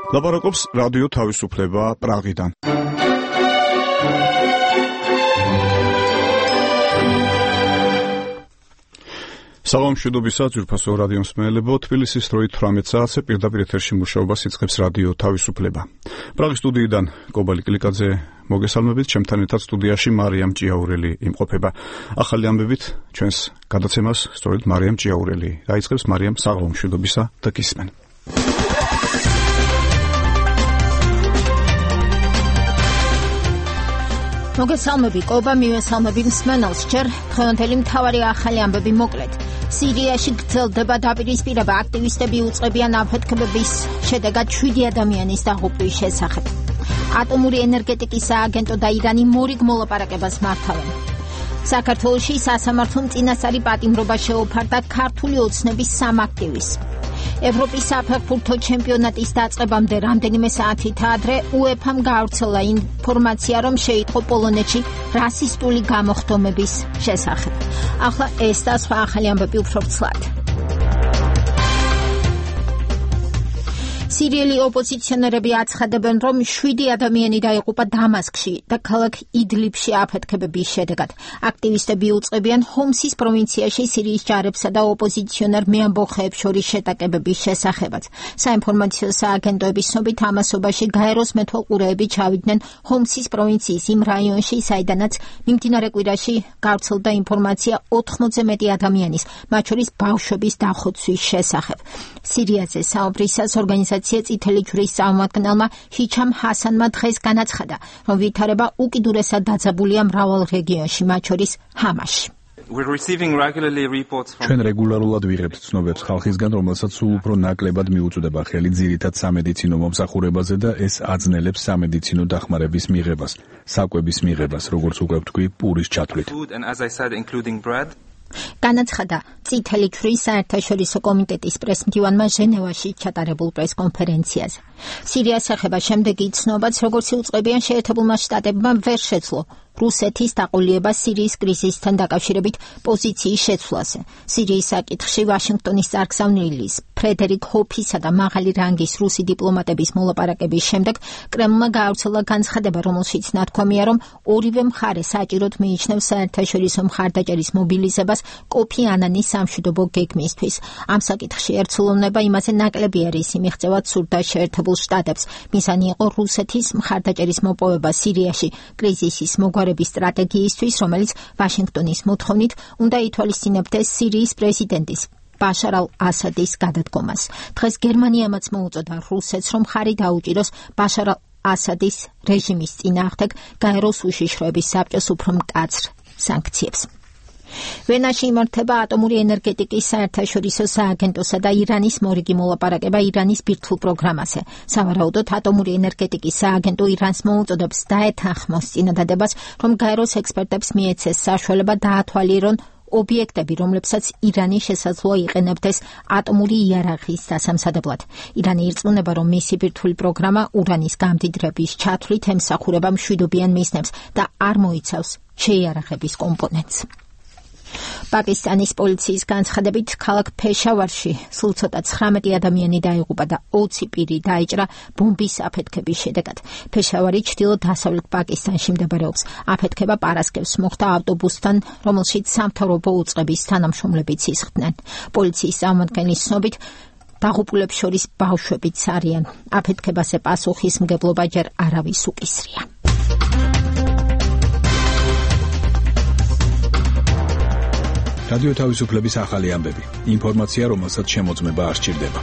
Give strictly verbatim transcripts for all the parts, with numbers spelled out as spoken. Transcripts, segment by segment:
ლაპარაკობს რადიო თავისუფლება პრაღიდან. საღამოშვიდობისა ძვირფასო რადიო მსმენელებო, თბილისის დროით თვრამეტ საათზე პირდაპირ ეთერში მუშაობას იწყებს რადიო თავისუფლება. პრაღის სტუდიიდან კობალი კლიკაძე მოგესალმებით, ჩემთან ერთად სტუდიაში მარიამ ჭიაურელი იმყოფება. ახალი ამბებით ჩვენს გადაცემას სწორედ მარიამ ჭიაურელი დაიწყებს. მარიამ, საღამოშვიდობისა და გისმენ. მოგესალმები კობა, მივესალმები მსმენელს. ჯერ დღევანდელი მთავარი ახალი ამბები მოკლედ. სირიაში გრძელდება დაპირისპირება, აქტივისტები უწყებიან აფეთქებების შედეგად შვიდი ადამიანის დაღუპვის შესახებ. ატომური ენერგეტიკის სააგენტო და ირანი მორიგ მოლაპარაკებას მართავენ. საქართველოში სასამართლომ წინასწარი პატიმრობა შეუფარდა ქართული ოცნების სამ აქტივისტს. ევროპის საფეხბურთო ჩემპიონატის დაწყებამდე რამდენიმე საათით ადრე უეფამ გაავრცელა ინფორმაცია, რომ შეიტყო პოლონეთში რასისტული გამოხდომების შესახებ. ახლა ეს და სხვა ახალი ამბები უფრო ვრცლად. სირიელი ოპოზიციონერები აცხადებენ, რომ შვიდი ადამიანი დაიღუპა დამასკში და ქალაქ იდლიბში აფეთქებების შედეგად. აქტივისტები უწყებიან ჰომსის პროვინციაში სირიის ჯარებსა და ოპოზიციონერ მეამბოხეებს შორის შეტაკებების შესახებაც. საინფორმაციო სააგენტოების ცნობით ამასობაში გაეროს მეთვალყურეები ჩავიდნენ ჰომსის პროვინციის იმ რაიონში, საიდანაც მიმდინარე კვირაში გავრცელდა ინფორმაცია ოთხმოცზე მეტი ადამიანის, მათ შორის ბავშვების დახოცვის შესახებ. სირიაზე საუბრისას ორგანიზაცია წითელი ჯვრის წარმომადგენელმა ჰიჩამ ჰასანმა დღეს განაცხადა, რომ ვითარება უკიდურესად დაძაბულია მრავალ რეგიონში, მათ შორის ჰამაში. ჩვენ რეგულარულად ვიღებთ ცნობებს ხალხისგან, რომელსაც სულ უფრო ნაკლებად მიუწვდება ხელი ძირითად სამედიცინო მომსახურებაზე და ეს აძნელებს სამედიცინო დახმარების მიღებას, საკვების მიღებას, როგორც უკვე ვთქვი, პურის ჩათვლით. განაცხადა წითელი ჯვრის საერთაშორისო კომიტეტის პრესმდივანმა ჟენევაში ჩატარებულ პრესკონფერენციაზე. სირიას ეხება შემდეგი ცნობაც, როგორც იუწყებიან შეერთებულმა შტატებმა ვერ შეძლო რუსეთის დაყოლება სირიის კრიზისთან დაკავშირებით პოზიციის შეცვლაზე. სირიის საკითხში ვაშინგტონის წარგზავნილის ფრედერიკ ჰოფისა და მაღალი რანგის რუსი დიპლომატების მოლაპარაკების შემდეგ კრემლმა გაავრცელა განცხადება, რომელშიც ნათქვამია, რომ ორივე მხარე საჭიროდ მიიჩნევს საერთაშორისო მხარდაჭერის მობილიზებას კოფი ანანის სამშვიდობო გეგმისთვის. ამ საკითხში ერთსულოვნება იმაზე ნაკლები არის იმიღწევად სურდა შეერთებულ შტატებს. მიზანი იყო რუსეთის მხარდაჭერის მოპოვება სირიაში კრიზისის მოგვარების სტრატეგიისთვის, რომელიც ვაშინგტონის მოთხოვნით უნდა ითვალისწინებდეს სირიის პრეზიდენტის ბაშარ ალ-ასადის გადადგომას. დღეს გერმანიამაც მოუწოდა რუსეთს, რომ ხარი დაუჭიროს ბაშარ ალ-ასადის რეჟიმის წინააღმდეგ გაეროს უშიშროების საბჭოს უფრო მკაცრ სანქციებს. ვენაში იმართება ატომური ენერგეტიკის საერთაშორისო სააგენტოსა და ირანის მორიგი მოლაპარაკება ირანის ბირთვულ პროგრამაზე. სავარაუდოდ ატომური ენერგეტიკის სააგენტო ირანს მოუწოდებს დაეთანხმოს წინადადებას, რომ გაეროს ექსპერტებს მიეცეს საშუალება დაათვალიერონ ობიექტები, რომლებსაც ირანი შესაძლოა იყენებდეს ატომური იარაღის დასამზადებლად. ირანი ირწმუნება, რომ მისი ბირთვული პროგრამა ურანის გამდიდრების ჩათვლით ემსახურება მშვიდობიან მიზნებს და არ მოიცავს შეიარაღების კომპონენტს. პაკისტანის პოლიციის განცხადებით, ქალაქ ფეშავარში სულ ცოტა ცხრამეტი ადამიანი დაიღუპა და ოცი პირი დაიჭრა ბომბის აფეთქების შედეგად. ფეშავარი ჩრდილო-დასავლეთ პაკისტანში მდებარეობს. აფეთქება პარასკევს მოხდა ავტობუსთან, რომელშიც სამთავრობო უწყების თანამშრომლებიც ისხდნენ. პოლიციის წარმომადგენლის ცნობით, დაღუპულებს შორის ბავშვებიც არიან. აფეთქებაზე პასუხისმგებლობა ჯერ არავის უკისრია. რადიო თავისუფლების ახალი ამბები. ინფორმაცია, რომელსაც შემოწმება არ სჭირდება.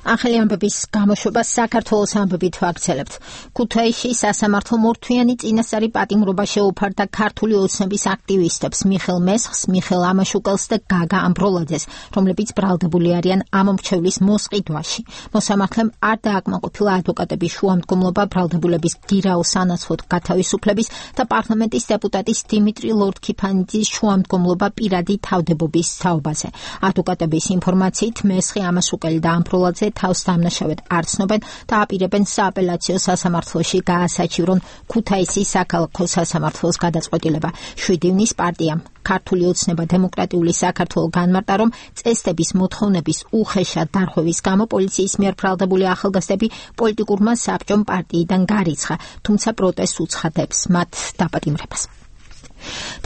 ახალი ამბების გამოშვებას საქართველოს ამბებით ვაგრძელებთ. ქუთაისში სასამართლო მორთვიანი წინასწარი პატიმრობა შეუფარდა ქართული ოცნების აქტივისტებს მიხელ მესხს, მიხელ ამაშუკელს და გაგა ამბროლაძეს, რომლებიც ბრალდებული არიან ამ მრჩევლის მოსყიდვაში. მოსამართლემ არ დააკმაყოფილა ადვოკატების შუამდგომლობა ბრალდებულების გირაოს ანაცვლოდ გათავისუფლების და პარლამენტის დეპუტატის დიმიტრი ლორდ-ქიფანიძის შუამდგომლობა პირადი თავდებობის თაობაზე. ადვოკატების ინფორმაციით მესხი ამაშუკელი და ამბროლაძე თავს დამნაშავედ არ ცნობენ და აპირებენ სააპელაციო სასამართლოში გაასაჩივრონ ქუთაისის საქალაქო სასამართლოს გადაწყვეტილება. შვიდი ივნის პარტიამ ქართული ოცნება დემოკრატიული საქართველო განმარტა, რომ წესდების მოთხოვნების უხეშად დარღვევის გამო პოლიციის მიერ ბრალდებული ახალგაზრდები პოლიტიკურმა საბჭომ პარტიიდან გარიცხა, თუმცა პროტესტს უცხადებს მათ დაპატიმრებას.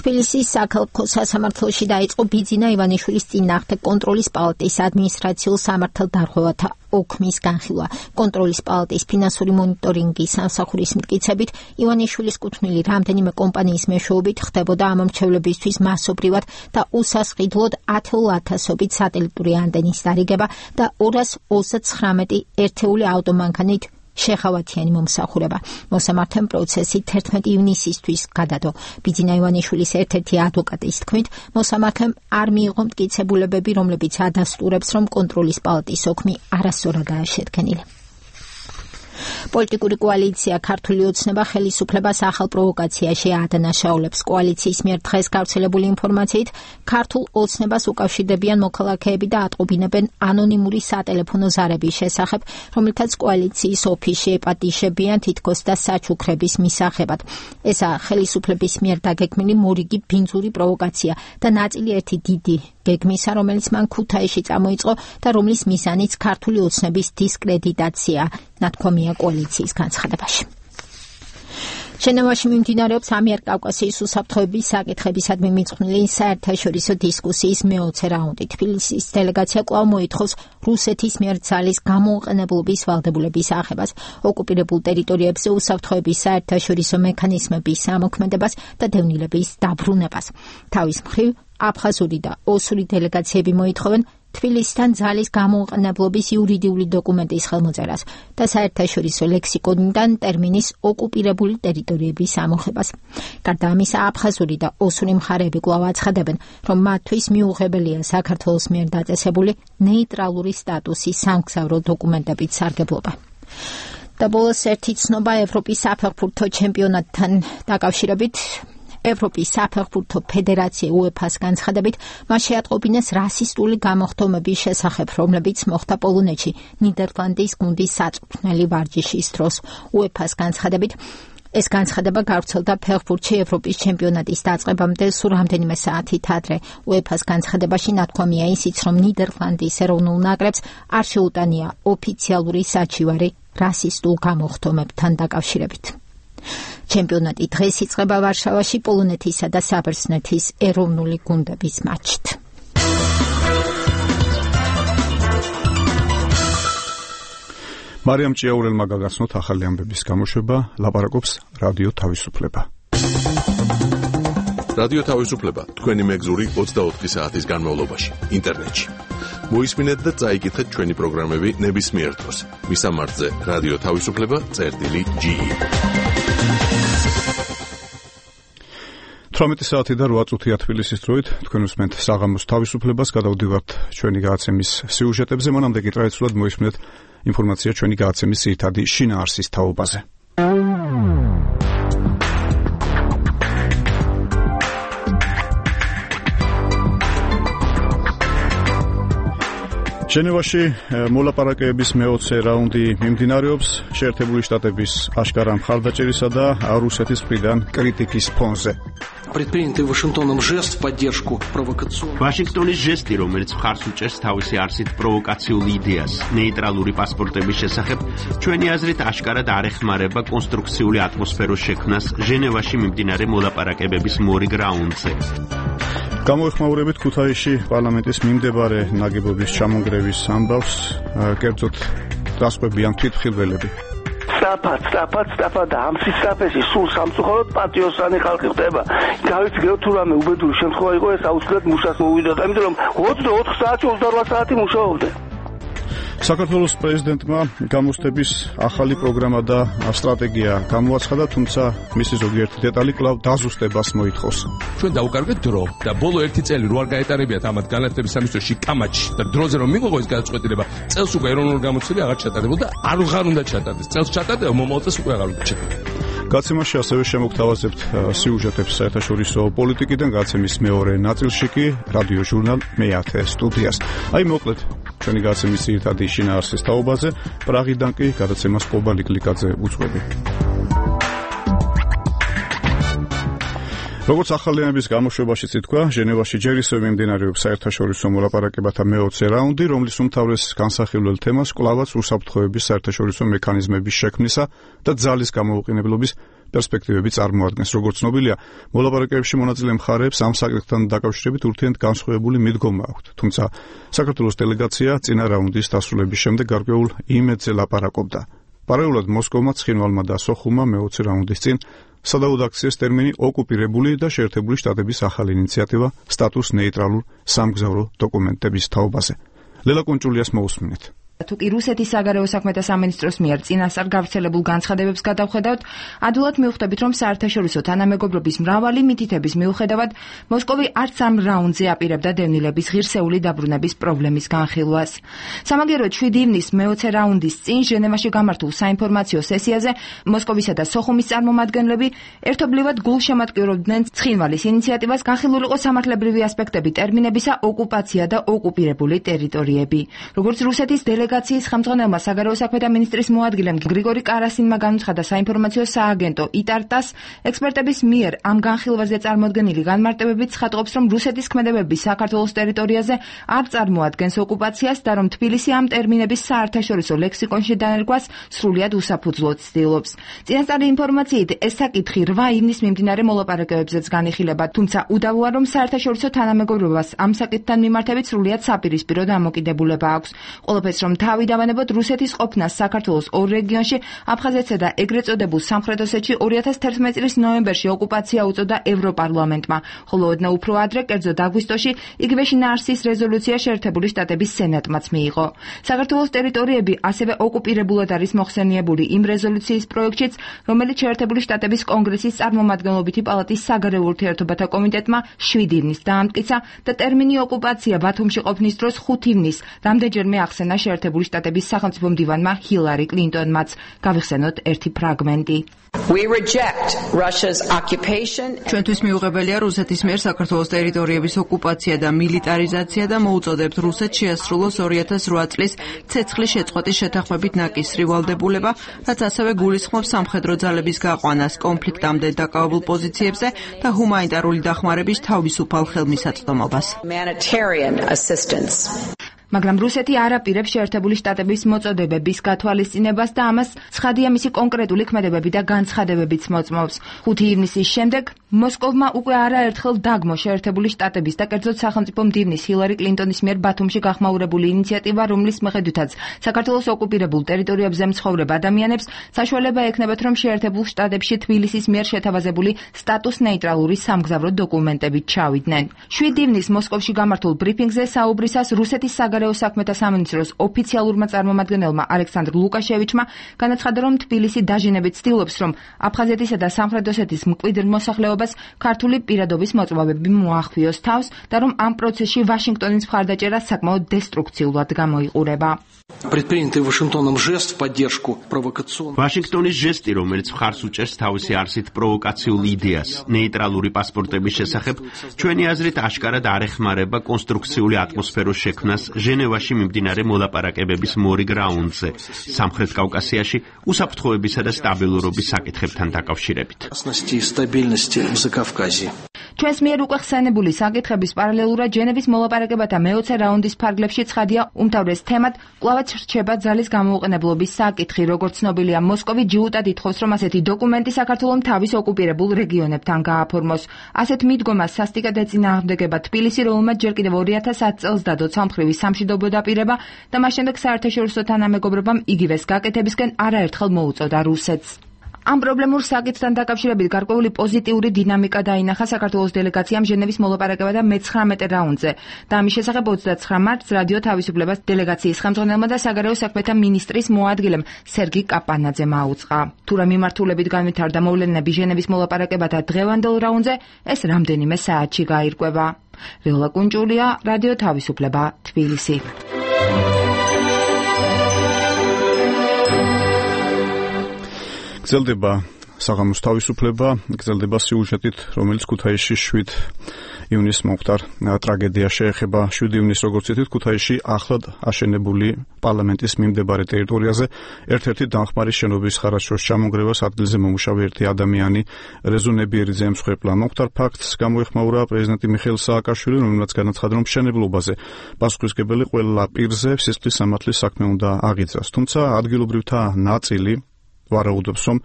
თბილისის საქალაქო სასამართლოში დაიწყო ბიძინა ივანიშვილის წინააღმდეგ კონტროლის პალატის ადმინისტრაციულ სამართალდარღვევათა ოქმის განხილვა. კონტროლის პალატის ფინანსური მონიტორინგის სამსახურის მტკიცებით, ივანიშვილის კუთვნილი რამდენიმე კომპანიის მეშვეობით ხდებოდა ამომრჩევლებისთვის მასობრივად და უსასყიდლოდ ათეულათასობით სატელიტური ანტენის დარიგება და ორას ოცდაცხრამეტი ერთეული ავტომანქანით შეხავათიანი მომსახურება. მოსამართემ პროცესი თერთმეტი ივნისისთვის გადადო. ბიძინა ივანიშვილის ერთ-ერთი ადვოკატის თქმით, მოსამართლემ არ მიიღო მტკიცებულებები, რომლებიც ადასტურებს, რომ კონტროლის პალატის ოქმი არასწორადაა შედგენილი. პოლიტიკური კოალიცია ქართული ოცნება ხელისუფლებას ახალ პროვოკაციაში ადანაშაულებს. კოალიციის მიერ დღეს გავრცელებული ინფორმაციით, ქართულ ოცნებას უკავშირდებიან მოქალაქეები და ატყობინებენ ანონიმური სატელეფონო ზარების შესახებ, რომელთაც კოალიციის ოფისში ეპატიშებიან თითქოს და საჩუქრების მისაღებად. ესაა ხელისუფლების მიერ დაგეგმილი მორიგი ბინძური პროვოკაცია და ნაწილი ერთი დიდი გეგმისა, რომელიც მან ქუთაისში წამოიწყო და რომლის მიზანიც ქართული ოცნების დისკრედიტაცია, ნათქვამია კოალიციის განცხადებაში. ჟენევაში მიმდინარეობს ამიერკავკასიის უსაფრთხოების საკითხებისადმი მიწყვნილი საერთაშორისო დისკუსიის მეოცე რაუნდი. თბილისის დელეგაცია კვლავ მოითხოვს რუსეთის მიერ ძალის გამოუყენებლობის ვალდებულების აღებას, ოკუპირებულ ტერიტორიებზე უსაფრთხოების საერთაშორისო მექანიზმების ამოქმედებას და დევნილების დაბრუნებას. თავის მხრივ აფხაზური და ოსური დელეგაციები მოითხოვენ თბილისთან ძალის გამოუყენებლობის იურიდიული დოკუმენტის ხელმოწერას და საერთაშორისო ლექსიკონიდან ტერმინის ოკუპირებული ტერიტორიების ამოღებას. გარდა ამისა, აფხაზური და ოსური მხარეები კვლავ აცხადებენ, რომ მათთვის მიუღებელია საქართველოს მიერ დაწესებული ნეიტრალური სტატუსის სამგზავრო დოკუმენტებით სარგებლობა. და ბოლოს ერთი ცნობა ევროპის საფეხბურთო ჩემპიონატთან დაკავშირებით. ევროპის საფეხბურთო ფედერაცია უეფას განცხადებით, მას შეატყობინეს რასისტული გამოხდომების შესახებ, რომლებიც მოხდა პოლონეთში ნიდერლანდის გუნდის საწვრთნელი ვარჯიშის დროს. უეფას განცხადებით, ეს განცხადება გავრცელდა ფეხბურთში ევროპის ჩემპიონატის დაწყებამდე სულ რამდენიმე საათით ადრე. უეფას განცხადებაში ნათქვამია ისიც, რომ ნიდერლანდის ეროვნულ ნაკრებს არ შეუტანია ოფიციალური საჩივარი რასისტულ გამოხდომებთან დაკავშირებით. ჩემპიონატი დღეს იწყება ვარშავაში პოლონეთისა და საბერძნეთის ეროვნული გუნდების მატჩით. მარიამ ჭიაურელმა გაგაცნოთ ახალი ამბების გამოშვება, ლაპარაკობს რადიო თავისუფლება. რადიო თავისუფლება თქვენი მეგზური ოცდაოთხი საათის განმავლობაში ინტერნეტში. მოისმინეთ და წაიკითხეთ ჩვენი პროგრამები ნებისმიერ დროს. მისამართზე რადიო თავისუფლება წერტილი ჯი. თვრამეტი საათი და რვა წუთია თბილისის დროით, თქვენ უსმენთ საღამოს თავისუფლებას, გადავდივართ ჩვენი გადაცემის სიუჟეტებზე, მანამდე კი ტრადიციულად მოისმინეთ ინფორმაცია ჩვენი გადაცემის ძირითადი შინაარსის თაობაზე. ჟენევაში მოლაპარაკებების მეოცე რაუნდი მიმდინარეობს შეერთებული შტატების აშკარა მხარდაჭერისა და რუსეთის მხრიდან კრიტიკის ფონზე. Предпринятый Вашингтоном жест в поддержку провокационных. ვაშინგტონის ჟესტი, რომელიც მხარს უჭერს თავისი არსით პროვოკაციულ იდეას, ნეიტრალური პასპორტების შესახებ, ჩვენი აზრით აშკარად არ ეხმარება კონსტრუქციული ატმოსფეროს შექმნას ჟენევაში მიმდინარე მოლაპარაკებების მორიგ რაუნდზე. გამოეხმაურებით ქუთაისში პარლამენტის მიმდებარე ნაგებობის ჩამონგრევის ამბავს, კერძოდ დასყვებიან თვითმხილველები. სწრაფად, სწრაფად, სწრაფად და ამ სისწრაფეში სულ სამწუხაროდ პატიოსანი ხალხი ხდება. გავიფიქრე თუ რამე უბედური შემთხვევა იყო, ეს აუცილებლად მუშას მოვიდოდა, იმიტომ რომ ოცდაოთხ საათი ოცდარვა საათი მუშაობდა. საქართველოს პრეზიდენტმა გამოცდების ახალი პროგრამა და სტრატეგია გამოაცხადა, თუმცა მისი ზოგიერთი დეტალი კვლავ დაზუსტებას მოითხოვს. ჩვენ დაუკარგეთ დრო და ბოლო ერთი წელი რო არ გაეტარებიათ ამათ განათლების სამინისტროში კამაჩი და დროზე რომ მიიღო ეს გადაწყვეტილება, წელს უკვე ეროვნული გამოცდები აღარ ჩატარებულა და არ აღარ უნდა ჩატარდეს. წელს ჩატარდება, მომავალ წელს უკვე აღარ უნდა ჩატარდეს. გაცემაში ასევე შემოგთავაზებთ სიუჟეტებს საერთაშორისო პოლიტიკიდან, გაცემის მეორე ნაწილში კი რადიო ჟურნალ მეათე სტუდიას. აი მოკლედ ჩვენი გაცემის ძირითადი შინაარსის თაობაზე, პრაღიდან კი გადაცემას კობალი კლიკაძე უძღვები. როგორც ახალიანების გამოშვებაშიც ითქვა, ჟენევაში ჯერ ისევ მიმდინარეობს საერთაშორისო მოლაპარაკებათა მეოცე რაუნდი, რომლის უმთავრეს განსახილველ თემას კვლავაც უსაფრთხოების საერთაშორისო მექანიზმების შექმნისა და ძალის გამოუყენებლობის პერსპექტივები წარმოადგენს. Როგორც ცნობილია, მოლაპარაკებებში მონაწილე მხარეებს ამ საკითხთან დაკავშირებით ურთიერთ განსხვავებული მიდგომა აქვთ. თუმცა საქართველოს დელეგაცია წინა რაუნდის დასრულების შემდეგ გარკვეულ იმედზე ლაპარაკობდა. პარალელურად მოსკოვმა, ცხინვალმა და სოხუმმა მეოცე რაუნდის წინ სადავოდ აქციეს ტერმინი ოკუპირებული და შეერთებული შტატების ახალი ინიციატივა სტატუს ნეიტრალურ სამგზავრო დოკუმენტების თაობაზე. ლელა კუნჭულიას მოусმინეთ. თუკი რუსეთის საგარეო საქმეთა სამინისტროს მიერ წინასწარ გავრცელებულ განცხადებებს გადავხედავთ, ადვილად მივხვდებით, რომ საერთაშორისო თანამეგობრობის მრავალი მითითების მიუხედავად, მოსკოვი არც ამ რაუნდზე აპირებდა დევნილების ღირსეული დაბრუნების პრობლემის განხილვას. სამაგიეროდ შვიდი ივნისის მეოცე რაუნდის წინ ჟენევაში გამართულ საინფორმაციო სესიაზე მოსკოვისა და სოხუმის წარმომადგენლები ერთობლივად გულშემატკივრობდნენ ცხინვალის ინიციატივას განხილულიყო სამართლებრივი ასპექტები ტერმინებისა ოკუპაცია და ოკუპირებული ტერიტორიები. როგორც რუსეთის დელეგაციის ხელმძღვანელმა საგარეო საქმეთა მინისტრის მოადგილემ გრიგორი კარასინმა განუცხადა საინფორმაციო სააგენტო იტარტას, ექსპერტების მიერ ამ განხილვაზე წარმოდგენილი განმარტებებით ცხადყოფს, რომ რუსეთის ქმედებები საქართველოს ტერიტორიაზე არ წარმოადგენს ოკუპაციას და რომ თბილისი ამ ტერმინების საერთაშორისო ლექსიკონში დანერგვას სრულიად უსაფუძვლოდ ცდილობს. წინასწარი ინფორმაციით ეს საკითხი რვა ივნისს მიმდინარე მოლაპარაკებებზეც განიხილება, თუმცა უდავოა, რომ საერთაშორისო თანამეგობრობას ამ საკითხთან მიმართებით სრულიად საპირისპირო დამოკიდებულება აქვს. ყველაფერს რომ თავი დავანებოთ რუსეთის ყოფნას საქართველოს ორ რეგიონში, აფხაზეთსა და ეგრეთ წოდებულ სამხრეთ ოსეთში ორი ათას თერთმეტი წლის ნოემბერში ოკუპაცია უწოდა ევროპარლამენტმა, ხოლო ოდნავ უფრო ადრე, კერძოდ აგვისტოში, იგივე შინაარსის რეზოლუცია შეერთებული შტატების სენატმაც მიიღო. საქართველოს ტერიტორიები ასევე ოკუპირებულად არის მოხსენიებული იმ რეზოლუციის პროექტშიც, რომელიც შეერთებული შტატების კონგრესის წარმომადგენლობითი პალატის საგარეო ურთიერთობათა კომიტეტმა შვიდი ივნისს დაამტკიცა და ტერმინი ოკუპაცია ბათუმში ყოფნის დროს ხუთი ივნისს რამდენჯერმე ახსენა შეერთებული შტატების სახელმწიფო მდივანმა ჰილარი კლინტონმაც. გავიხსენოთ ერთი ფრაგმენტი. ჩვენთვის მიუღებელია რუსეთის მიერ საქართველოს ტერიტორიების ოკუპაცია და მილიტარიზაცია და მოუწოდებთ რუსეთს შეასრულოს ორი ათას რვა წლის ცეცხლის შეწყვეტის შეთანხმებით ნაკისრი ვალდებულება, რაც ასევე გულისხმობს სამხედრო ძალების გაყვანას კონფლიქტამდე დაკავებულ პოზიციებზე და ჰუმანიტარული დახმარების თავისუფალ ხელმისაწვდომობას. მაგრამ რუსეთი არ აპირებს შეერთებული შტატების მოწოდებების გათვალისწინებას და ამას ცხადია მისი კონკრეტული ქმედებები და განცხადებებიც მოწმობს. ხუთი ივნისის შემდეგ მოსკოვმა უკვე არაერთხელ დაგმო შეერთებული შტატების და კერძოდ სახელმწიფო მდივნის ჰილარი კლინტონის მიერ ბათუმში გახმაურებული ინიციატივა, რომლის მიხედვითაც საქართველოს ოკუპირებულ ტერიტორიებზე მცხოვრებ ადამიანებს საშუალება ექნებათ, რომ შეერთებულ შტატებში თბილისის მიერ შეთავაზებული სტატუს ნეიტრალური სამგზავრო დოკუმენტებით ჩავიდნენ. შვიდი ივნისს მოსკოვში გამართულ ბრიფინგზე საუბრისას რუსეთის საგარეო საქმეთა სამინისტროს ოფიციალურმა წარმომადგენელმა ალექსანდრ ლუკაშევიჩმა განაცხადა, რომ თბილისი დაჟინებით ცდილობს, რომ აფხაზეთისა და სამხრეთ ოსეთის მკვიდრ მოსახლეობას ქართული პირადობის მოწვევები მოახვიოს თავს და რომ ამ პროცესში ვაშინგტონის მხარდაჭერა საკმაოდ დესტრუქციულად გამოიყურება. Предпринятый Вашингтоном жест в поддержку провокационного. ვაშინგტონის ჟესტი, რომელიც მხარს უჭერს თავისი არსით პროვოკაციულ იდეას ნეიტრალური პასპორტების შესახებ, ჩვენი აზრით აშკარად არ ეხმარება კონსტრუქციული ატმოსფეროს შექმნას ჟენევაში მიმდინარე მოლაპარაკებების მორიგ რაუნდზე, სამხრეთ კავკასიაში უსაფრთხოებისა და სტაბილურობის საკითხებთან დაკავშირებით. ჩვენს მიერ უკვე ხსენებული საკითხების პარალელურად ჟენევის მოლაპარაკებათა მეოცე რაუნდის ფარგლებში ცხადია უმთავრეს თემად კვლავაც რჩება ძალის გამოუყენებლობის საკითხი. როგორც ცნობილია, მოსკოვი ჯიუტად ითხოვს, რომ ასეთი დოკუმენტი საქართველოს თავის ოკუპირებულ რეგიონებთან გააფორმოს. ასეთ მიდგომას სასტიკად ეწინააღმდეგება თბილისი, რომელმაც ჯერ კიდევ ორი ათას ათ წელს დადო სამხრივი სამშვიდობო დაპირება და მას შემდეგ საერთაშორისო თანამეგობრობამ იგივეს გაკეთებისკენ არაერთხელ მოუწოდა რუსეთს. ამ პრობლემურ საკითხთან დაკავშირებით გარკვეული პოზიტიური დინამიკა დაინახა საქართველოს დელეგაციამ ჟენევის მოლაპარაკებათა მეცხრამეტე რაუნდზე და ამის შესახებ ოცდაცხრა მარტს რადიო თავისუფლებას დელეგაციის ხელმძღვანელმა და საგარეო საქმეთა მინისტრის მოადგილემ სერგი კაპანაძემ აუწყა. თუ რა მიმართულებით განვითარდა მოვლენები ჟენევის მოლაპარაკებათა დღევანდელ რაუნდზე, ეს რამდენიმე საათში გაირკვევა. ლელა კუნჭულია, რადიო თავისუფლება, თბილისი. გრძელდება საღამოს თავისუფლება, გრძელდება სიუჟეტით, რომელიც ქუთაისში შვიდ ივნისს მომხდარ ტრაგედია შეეხება შვიდი ივნისს, როგორც იცით, ქუთაისში ახლად აშენებული პარლამენტის მიმდებარე ტერიტორიაზე ერთ-ერთი დამხმარი შენობის ხარაჯოს ჩამონგრევას ადგილზე მომუშავე ერთი ადამიანი რეზო ნებიერიძე ემსხვერპლა. მომხდარ ფაქტს გამოეხმაურა პრეზიდენტი მიხეილ სააკაშვილი, რომელმაც განაცხადა, რომ მშენებლობაზე პასუხისმგებელი ყველა პირზე სისხლის სამართლის საქმე უნდა აღიძრას. თუმცა ადგილობრივთა ნაწილი ვარაუდობს, რომ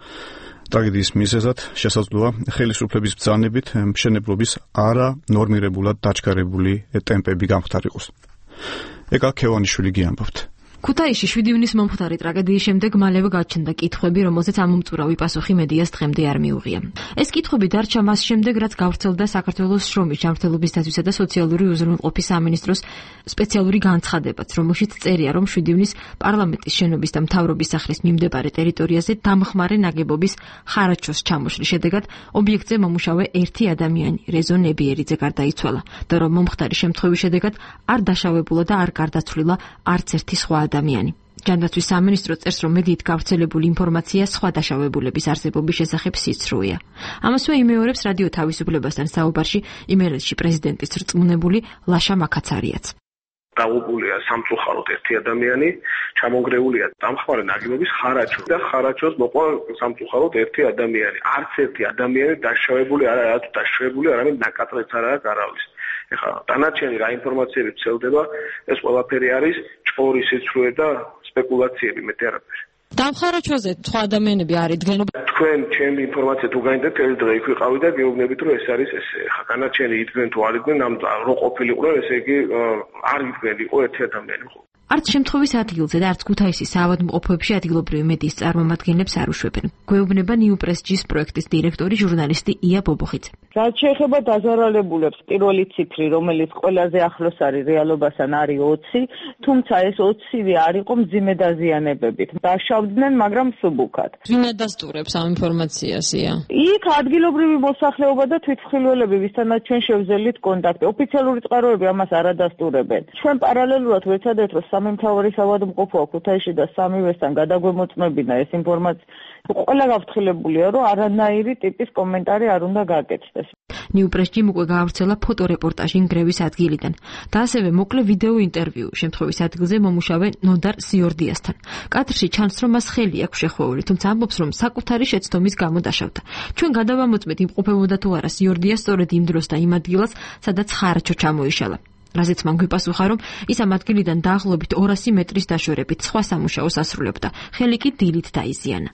ტრაგედიის მიზეზად შესაძლოა ხელისუფლების ბრძანებით მშენებლობის არა ნორმირებულად დაჩქარებული ტემპები გამხდარიყოს. ეკა ქევანიშვილი გიამბობთ. ქუთაისში შვიდი ივნისს მომხდარი ტრაგედიის შემდეგ მალევე გაჩნდა კითხვები, რომელზეც ამომწურავი პასუხი მედიას დღემდე არ მიუღია. ეს კითხვები დარჩა მას შემდეგ, რაც გავრცელდა საქართველოს შრომის ჯანმრთელობის დაცვისა და სოციალური უზრუნველყოფის სამინისტროს სპეციალური განცხადებაც, რომელშიც წერია, რომ შვიდი ივნისს პარლამენტის შენობის და მთავრობის სახლის მიმდებარე ტერიტორიაზე დამხმარე ნაგებობის ხარაჯოს ჩამოშლის შედეგად ობიექტზე მომუშავე ერთი ადამიანი, რეზო ნებიერიძე გარდაიცვალა და რომ მომხდარი შემთხვევის შედეგად არ დაშავებულა და არ გარდაცვლილა არც ერთი სხვა ადამიანი. ჯანდაცვის სამინისტრო წერს, რომ მედიით გავრცელებული ინფორმაცია სხვა დაშავებულების არსებობის შესახებ სიცრუეა. ამასვე იმეორებს რადიო თავისუფლებასთან საუბარში იმერეთში პრეზიდენტის რწმუნებული ლაშა მაკაცარიაც. დაღუპულია სამწუხაროდ ერთი ადამიანი, ჩამონგრეულია დამხმარე ნაგებობის ხარაჯო და ხარაჯოს მოყვა სამწუხაროდ ერთი ადამიანი. არც ერთი ადამიანი დაშავებული არ არის, არც დაშავებული არამედ ნაკაწრეც არ არის არავის. ეხლა დანარჩენი რა ინფორმაციები ვრცელდება, ეს ყველაფერი არის ჭორი სიცრუე და სპეკულაციები, მეტი არაფერი. დამხარაჯოზე სხვა ადამიანები არ იდგნენ. თქვენ ჩემი ინფორმაცია თუ გაინდეთ, ერთ დღე იქ ვიყავი და გეუბნებით, რომ ეს არის ესე. ეხლა დანარჩენი იდგნენ თუ არ იდგნენ, ამ რო ყოფილიყვნენ, ესე იგი არ იდგნენ, იყო ერთი ადამიანი. არც შემთხვევის ადგილზე და არც ქუთაისის საავადმყოფოებში ადგილობრივი მედიის წარმომადგენლებს არ უშვებენ. გვეუბნება ნიუპრესჯის პროექტის დირექტორი ჟურნალისტი ია ბობოხიძე. რაც შეეხება დაზარალებულებს, პირველი ციფრი, რომელიც ყველაზე ახლოს არის რეალობასთან, არის ოცი, თუმცა ეს ოცივე არ იყო მძიმე დაზიანებებით. დაშავდნენ, მაგრამ სუბუქად. ვინ ადასტურებს ამ ინფორმაციას? იქ ადგილობრივი მოსახლეობა და თვითმხილველები, ვისთანაც ჩვენ შევძელით კონტაქტი. ოფიციალური წყაროები ამას არ ადასტურებენ. ჩვენ პარალელურად ვეცადეთ, რომ სამი მთავარი საავადმყოფოა ქუთაისში და სამივესთან გადაგვემოწმებინა ეს ინფორმაცია. ყველა გავთხილებულია, რომ არანაირი ტიპის კომენტარი არ უნდა გაკეთდეს. ნიუპრესჯიმ უკვე გაავრცელა ფოტორეპორტაჟი ნგრევის ადგილიდან და ასევე მოკლე ვიდეო ინტერვიუ შემთხვევის ადგილზე მომუშავე ნოდარ სიორდიასთან. კადრში ჩანს, რომ მას ხელი აქვს შეხვეული, თუმცა ამბობს, რომ საკუთარი შეცდომის გამო დაშავდა. ჩვენ გადავამოწმეთ იმყოფებოდა თუ არა სიორდია სწორედ იმ დროს და იმ ადგილას, სადაც ხარაჯო ჩამოიშალა. რაზეც მან გვიპასუხა, რომ ის ამ ადგილიდან დაახლოებით ორასი მეტრის დაშორებით სხვა სამუშაოს ასრულებდა. ხელი კი დილით დაიზიანა.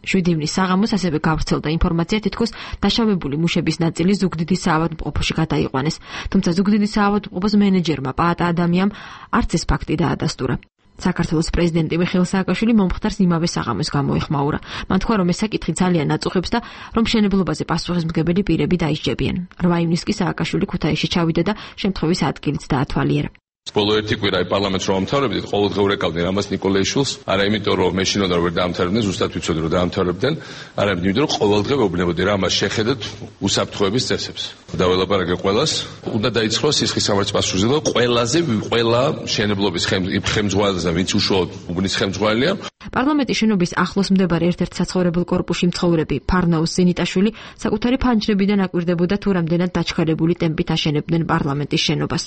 შვიდი ივნისს საღამოს ასევე გავრცელდა ინფორმაცია, თითქოს დაშავებული მუშების ნაწილი ზუგდიდის საავადმყოფოში გადაიყვანეს, თუმცა ზუგდიდის საავადმყოფოს მენეჯერმა პაატა ადამიანს არც ეს ფაქტი დაადასტურა. საქართველოს პრეზიდენტი მიხეილ სააკაშვილი მომხდარს იმავე საღამოს გამოეხმაურა. მან თქვა, რომ ეს საკითხი ძალიან აწუხებს და რომ მშენებლობაზე პასუხისმგებელი პირები დაისჯებიან. რვა ივნისს კი სააკაშვილი ქუთაისში ჩავიდა და შემთხვევის ადგილიც დაათვალიერა. ბოლო ერთი კვირა პარლამენტს რომ ამთავრებდით, ყოველდღიურ ეკავდნენ ამას ნიკოლეიშვილს, არა იმიტომ რომ მე შინოდარ ვერ დაამთავრებდნენ, ზუსტად ვიცოდი რომ დაამთავრებდნენ, არამედ იმიტომ რომ ყოველდღე ვეუბნებოდი რა მას შეხედეთ უსაფრთხოების წესებს. დაველაპარაკე ყველას, უნდა დაიწყოს სისხლის სამართლის პასუხისმგებლობა ყველაზე ყველა მშენებლობის ხელმძღვანელზე, ვინც უშუალოდ უბნის ხელმძღვანელია. პარლამენტის შენობის ახლოს მდებარე ერთ-ერთ საცხოვრებელ კორპუსში მცხოვრები ფარნაუს ზენიტაშვილი საკუთარი ფანჯრებიდან აკვირდებოდა თუ რამდენად დაჩქარებული ტემპით აშენებდნენ პარლამენტის შენობას.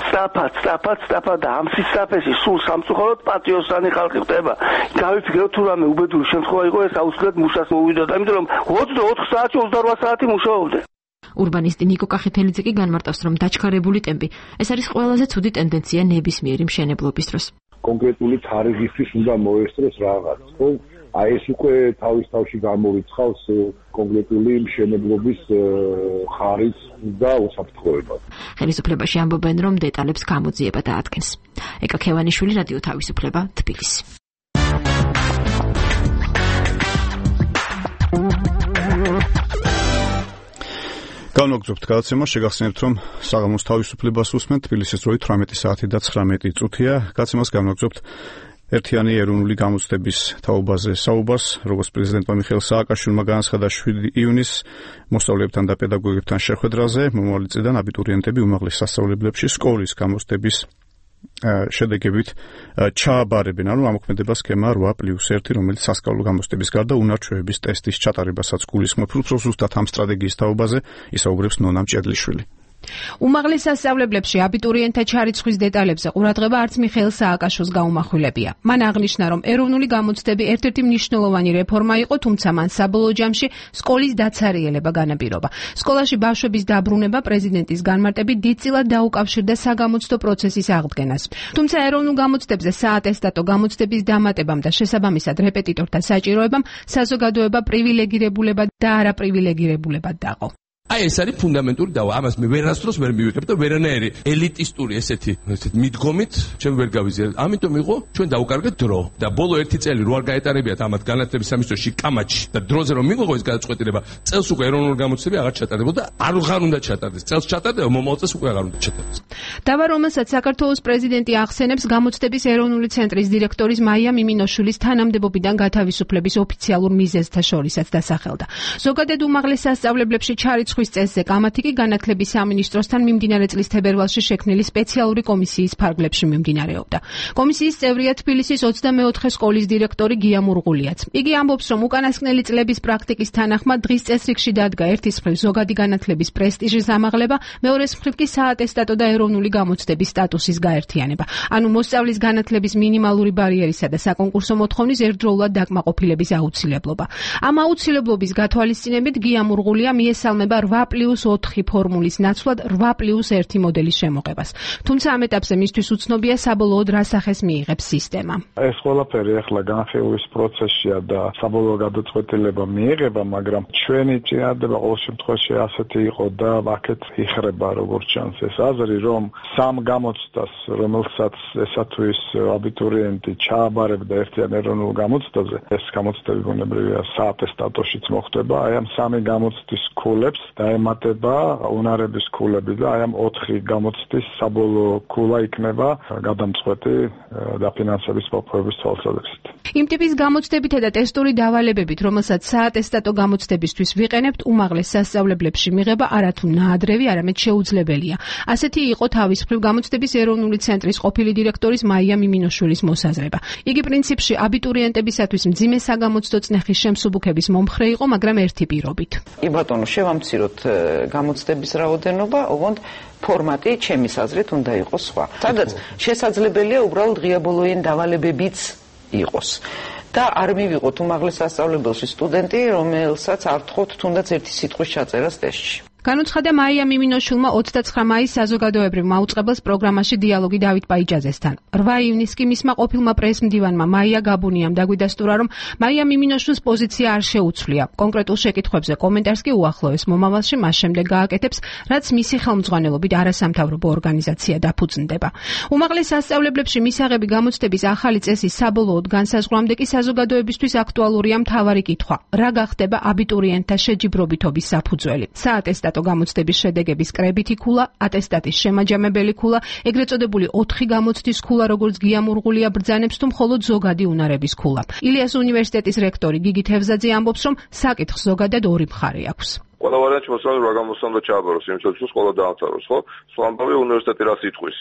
სწრაფად, სწრაფად, სწრაფად და ამ სისწრაფეში სულ სამწუხაროდ პატიოსანი ხალხი ხდება. გავიფიქრე თუ რამე უბედური შემთხვევა იყო, ეს აუცილებლად მუშას მოვიდოდა, იმიტომ რომ ოცდაოთხ საათი ოცდარვა საათი მუშაობდე. ურბანისტი ნიკო კახეთელიძე კი განმარტავს, რომ დაჩქარებული ტემპი ეს არის ყველაზე ცუდი ტენდენცია ნებისმიერი მშენებლობის დროს. კონკრეტული თარიღისთვის უნდა მოესწროს რაღაც, ხო? აი ეს უკვე თავის თავში გამორიცხავს კონკრეტული მშენებლობის ხარისხს და უსაფრთხოებას. ხელისუფლებაში ამბობენ, რომ დეტალებს გამოძიება დაადგენს. ეკა ქევანიშვილი, რადიო თავისუფლება, თბილისი. განვაგრძობთ გადაცემა, შეგახსენებთ, რომ საღამოს თავისუფლებას უსმენთ, თბილისის დროით თვრამეტი საათი და ცხრამეტი წუთია. გადაცემას განვაგრძობთ ერთიანი ეროვნული გამოცდების თაობაზე საუბარს, როგორც პრეზიდენტმა მიხეილ სააკაშვილმა განაცხადა შვიდი ივნისს მოსწავლეებთან და პედაგოგებთან შეხვედრაზე, მომავალი წლიდან აბიტურიენტები უმაღლეს სასწავლებლებში სკოლის გამოცდების შედეგებით ჩააბარებენ, ანუ ამოქმედება სქემა რვა პლუს ერთი, რომელიც სასკოლო გამოცდების გარდა უნარჩვევების ტესტის ჩატარებასაც გულისხმობს. უფრო ზუსტად ამ სტრატეგიის თაობაზე ისაუბრებს ნონა მჭედლიშვილი. უმაღლეს სასწავლებლებში აბიტურიენტთა ჩარიცხვის დეტალებზე ყურადღება არც მიხეილ სააკაშვილს გაუმახვილებია. მან აღნიშნა, რომ ეროვნული გამოცდები ერთ-ერთი მნიშვნელოვანი რეფორმა იყო, თუმცა მან საბოლოო ჯამში სკოლის დაცარიელება განაპირობა. სკოლაში ბავშვების დაბრუნება პრეზიდენტის განმარტებით დიდწილად დაუკავშირდა საგამოცდო პროცესის აღდგენას. თუმცა ეროვნულ გამოცდებზე საატესტატო გამოცდების დამატებამ და შესაბამისად რეპეტიტორთა საჭიროებამ საზოგადოება პრივილეგირებულებად და არაპრივილეგირებულებად დაყო. აი ეს არის ფუნდამენტური დავა. ამას მე ვერასდროს ვერ მივიღებ და ვერანაირი ელიტისტური ესეთი ესეთ მიდგომით ჩვენ ვერ გავიზიარებთ. ამიტომ იყო ჩვენ დაუკარგეთ დრო და ბოლო ერთი წელი რო არ გაეტარებიათ ამათ განათლების სამინისტროში კამაჩი და დროზე რომ მიიღო ეს გადაწყვეტილება, წელს უკვე ეროვნული გამოცდები აღარ ჩატარდებოდა და არ აღარ უნდა ჩატარდეს. წელს ჩატარდება, მომავალ წელს უკვე აღარ უნდა ჩატარდეს. დავა, რომელსაც საქართველოს პრეზიდენტი ახსენებს, გამოცდების ეროვნული ცენტრის დირექტორის მაია მიმინოშვილის თანამდებობიდან გათავისუფლების ოფიციალურ მიზეზთა შორისაც დასახელდა. ზოგადად უმაღლეს სასწავლებლებში ჩარიცხვის წესზე კამათი კი განათლების სამინისტროსთან მიმდინარე წლის თებერვალში შექმნილი სპეციალური კომისიის ფარგლებში მიმდინარეობდა. კომისიის წევრია თბილისის ოცდამეოთხე სკოლის დირექტორი გია მურღულიაც. იგი ამბობს, რომ უკანასკნელი წლების პრაქტიკის თანახმად დღის წესრიგში დადგა ერთის მხრივ ზოგადი განათლების პრესტიჟის ამაღლება, მეორეს მხრივ კი საატესტატო და ეროვნული გამოცდების სტატუსის გაერთიანება. ანუ მოსწავლის განათლების მინიმალური ბარიერისა და საკონკურსო მოთხოვნის ერთდროულად დაკმაყოფილების აუცილებლობა. ამ აუცილებლობის გათვალისწინებით გია მურღულია მიესალმება რვა პლუს ოთხი ფორმულის ნაცვლად რვა პლუს ერთი მოდელის შემოღებას. თუმცა ამ ეტაპზე მისთვის უცნობია საბოლოოდ რა სახეს მიიღებს სისტემა. ეს ყველაფერი ახლა განხილვის პროცესშია და საბოლოო გადაწყვეტილება მიიღება, მაგრამ ჩვენი წინადადება ყოველ შემთხვევაში ასეთი იყო და აქეთ იხრება როგორც ჩანს ეს აზრი, რომ სამ გამოცდას, რომელსაც ესა თუ ის აბიტურიენტი ჩააბარებდა ერთიან ეროვნულ გამოცდაზე, ეს გამოცდები ბუნებრივია საატესტატოშიც მოხდება, აი ამ სამი გამოცდის ქულებს დაემატება უნარების ქულები და აი ამ ოთხი გამოცდის საბოლოო ქულა იქნება გადამწყვეტი დაფინანსების მოპოვების თვალსაზრისით. იმ ტიპის გამოცდებითა და ტესტური დავალებებით, რომელსაც საატესტატო გამოცდებისთვის ვიყენებთ, უმაღლეს სასწავლებლებში მიღება არათუ ნაადრევი, არამედ შეუძლებელია. ასეთი იყო თავის მხრივ გამოცდების ეროვნული ცენტრის ყოფილი დირექტორის მაია მიმინოშვილის მოსაზრება. იგი პრინციპში აბიტურიენტებისათვის მძიმე საგამოცდო წნეხის შემსუბუქების მომხრე იყო, მაგრამ ერთი პირობით. კი ბატონო, შევამციროთ გამოცდების რაოდენობა, ოღონდ ფორმატი ჩემის აზრით უნდა იყოს სხვა. სადაც შესაძლებელია უბრალოდ ღია ბოლოიანი დავალებებიც იყოს. და არ მივიღოთ უმაღლეს სასწავლებელში სტუდენტი, რომელსაც არ თხოვთ თუნდაც ერთი სიტყვის ჩაწერას ტესტში. განუცხადა მაია მიმინოშვილმა ოცდაცხრა მაისს საზოგადოებრივ მაუწყებელს პროგრამაში დიალოგი დავით პაიჭაძესთან. რვა ივნისს კი მისმა ყოფილმა პრესმდივანმა მაია გაბუნიამ დაგვიდასტურა, რომ მაია მიმინოშვილის პოზიცია არ შეუცვლია. კონკრეტულ შეკითხვებზე კომენტარს კი უახლოეს მომავალში მას შემდეგ გააკეთებს, რაც მისი ხელმძღვანელობით არასამთავრობო ორგანიზაცია დაფუძნდება. უმაღლეს სასწავლებლებში მისაღები გამოცდების ახალი წესის საბოლოოდ განსაზღვრამდე კი საზოგადოებისთვის აქტუალურია მთავარი კითხვა: რა გახდება აბიტურიენტთა შეჯიბრობითობის საფუძველი? საატესტატო გამოცდების შედეგების კრებითი ქულა, ატესტატის შემაჯამებელი ქულა, ეგრეთ წოდებული ოთხი გამოცდის ქულა, როგორც გია მურღულია ბრძანებს, თუ მხოლოდ ზოგადი უნარების ქულა. ილიას უნივერსიტეტის რექტორი გიგი თევზაძე ამბობს, რომ საკითხს ზოგადად ორი მხარე აქვს. ყველა ვარიანტი მოსწავლე რა გამოსცემდა ჩააბაროს, იმისათვის რომ სკოლა დაამთავროს, ხო? სხვა ამბავი უნივერსიტეტი რას იტყვის?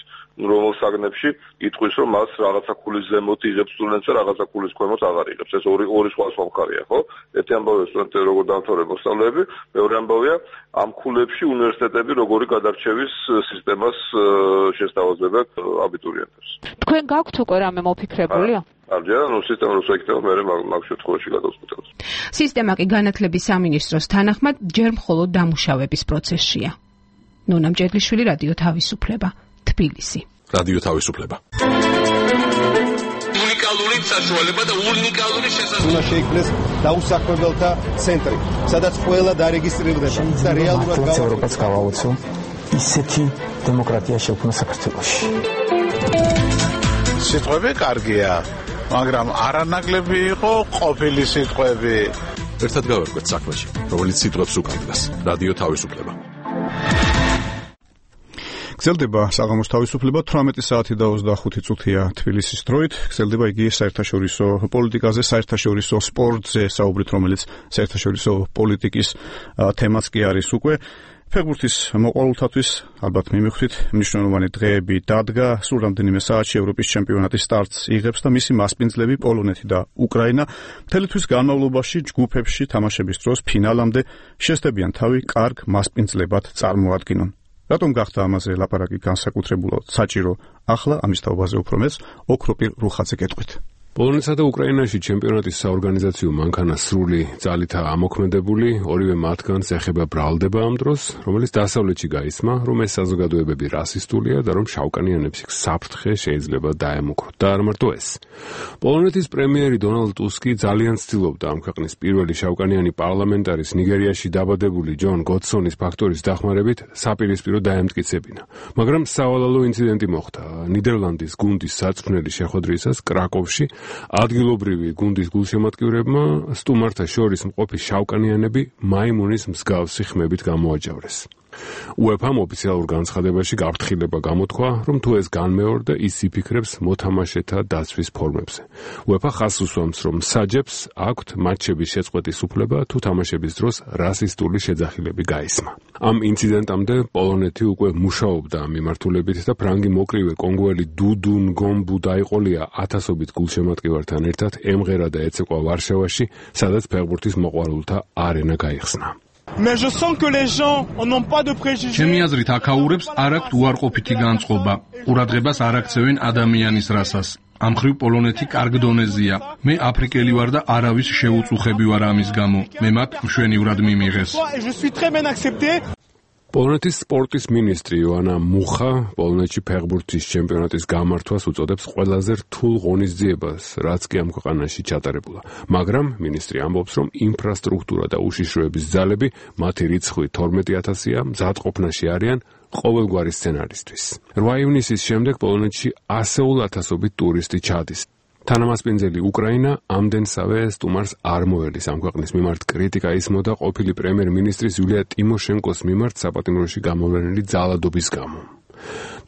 რომელ საგნებში იტყვის, რომ მას რაღაცა ქულის ზემოთ იღებს სტუდენტს და რაღაცა ქულის ქვემოთ აღარ იღებს. ეს ორი ორი სხვა სხვა მხარეა, ხო? ერთი ამბავია სტუდენტები როგორ დაამთავრებს მოსწავლეები, მეორე ამბავია ამ ქულებში უნივერსიტეტები როგორი გადარჩევის სისტემას შესთავაზებენ აბიტურიენტებს. თქვენ გაქვთ უკვე რამე მოფიქრებულია? არჯერა ნუ სისტემა რო შეიკეთება, მე მაგ შემთხვევაში გადავწყვეტავს. სისტემა კი განათლების სამინისტროს თანახმად ჯერ მხოლოდ დამუშავების პროცესშია. ნონა მჭედლიშვილი, რადიო თავისუფლება, თბილისი. რადიო თავისუფლება. უნიკალური საშუალება და უნიკალური შესაძლებლობა. უნდა შეიქმნეს დაუსაქმებელთა ცენტრი, სადაც ყველა დარეგისტრირდება და რეალურად ევროპაც გავაოცო ისეთი დემოკრატია შექმნა საქართველოში. სიტყვები კარგია, მაგრამ არანაკლები იყო ყოფილი სიტყვები. ერთად გავერკვეთ საქმეში, რომელიც სიტყვებს უკავშირდება. რადიო თავისუფლება. გრძელდება საღამოს თავისუფლება, თვრამეტი საათი და ოცდახუთი წუთია თბილისის დროით. გრძელდება იგი საერთაშორისო პოლიტიკაზე, საერთაშორისო სპორტზე საუბრით, რომელიც საერთაშორისო პოლიტიკის თემაც კი არის უკვე. ფეხბურთის მოყვარულთათვის ალბათ მიმიხვით მნიშვნელოვანი დღეები დადგა. სულ რამდენიმე საათში ევროპის ჩემპიონატის სტარტს იღებს და მისი მასპინძლები პოლონეთი და უკრაინა მთელი თვის განმავლობაში ჯგუფებში თამაშების დროს ფინალამდე შესდებიან თავი კარგ მასპინძლებად წარმოადგინონ. რატომ გახდა ამაზე ლაპარაკი განსაკუთრებულად საჭირო? ახლა ამის თაობაზე უფრო მეც ოქროპირ რუხაძე გეტყვით. პოლონეთსა და უკრაინაში ჩემპიონატის საორგანიზაციო მანქანა სრული ძალითაა ამოქმედებული, ორივე მათგანს ეხება ბრალდება ამ დროს, რომელიც დასავლეთში გაისმა, რომ ეს საზოგადოებები რასისტულია და რომ შავკანიანებს იქ საფრთხე შეიძლება დაემუქროთ. და არ მარტო ეს. პოლონეთის პრემიერი დონალდ ტუსკი ძალიან ცდილობდა ამ ქვეყნის პირველი შავკანიანი პარლამენტარის ნიგერიაში დაბადებული ჯონ გოდსონის ფაქტორის დახმარებით საპირისპირო დაემტკიცებინა. მაგრამ სავალალო ინციდენტი მოხდა. ნიდერლანდის გუნდის საწვრთნელი შეხვედრისას კრაკოვში ადგილობრივი გუნდის გულშემატკივრებმა სტუმართა შორის მყოფი შავკანიანები მაიმუნის მსგავსი ხმებით გამოაჯავრეს. უეფამ ოფიციალურ განცხადებაში გაფრთხილება გამოთქვა, რომ თუ ეს განმეორდა, ის იფიქრებს მოთამაშეთა დაცვის ფორმებზე. უეფა ხაზს უსვამს, რომ საჯებს აქვთ მატჩების შეწყვეტის უფლება, თუ თამაშების დროს რასისტული შეძახილები გაისმა. ამ ინციდენტამდე პოლონეთი უკვე მუშაობდა ამ მიმართულებით და ფრანგი მოკრივე კონგოელი დუდუ ნგომბუ დაიყოლია ათასობით გულშემატკივართან ერთად ემღერა და ეცეკვა ვარშავაში, სადაც ფეხბურთის მოყვარულთა არენა გაიხსნა. Mais je sens que les gens n'ont pas de préjugés. ჩემი აზრით აქაურებს არ აქვთ უარყოფითი განწყობა. ყურადღებას არ აქცევენ ადამიანის რასას. ამ ხრივ პოლონეთი კარგ დონეზეა. მე აფრიკელი ვარ და არავის შეუწუხები ვარ ამის გამო. მე მათ მშვენივრად მიმიღეს. Je suis très bien accepté. პოლონეთის სპორტის მინისტრი იოანა მუხა პოლონეთში ფეხბურთის ჩემპიონატის გამართვას უწოდებს ყველაზე რთულ ღონისძიებას, რაც კი ამ ქვეყანაში ჩატარებულა. მაგრამ მინისტრი ამბობს, რომ ინფრასტრუქტურა და უშიშროების ძალები, მათი რიცხვი თორმეტი ათასია, მზადყოფნაში არიან ყოველგვარი სცენარისთვის. რვა ივნისის შემდეგ პოლონეთში ასეულ ათასობით ტურისტი ჩადის. თანამასპინძელი უკრაინა ამდენსავე სტუმარს არ მოელის. ამ ქვეყნის მიმართ კრიტიკა ისმოდა ყოფილი პრემიერ-მინისტრის იულია ტიმოშენკოს მიმართ საპატიმროში გამოვლენილი ძალადობის გამო.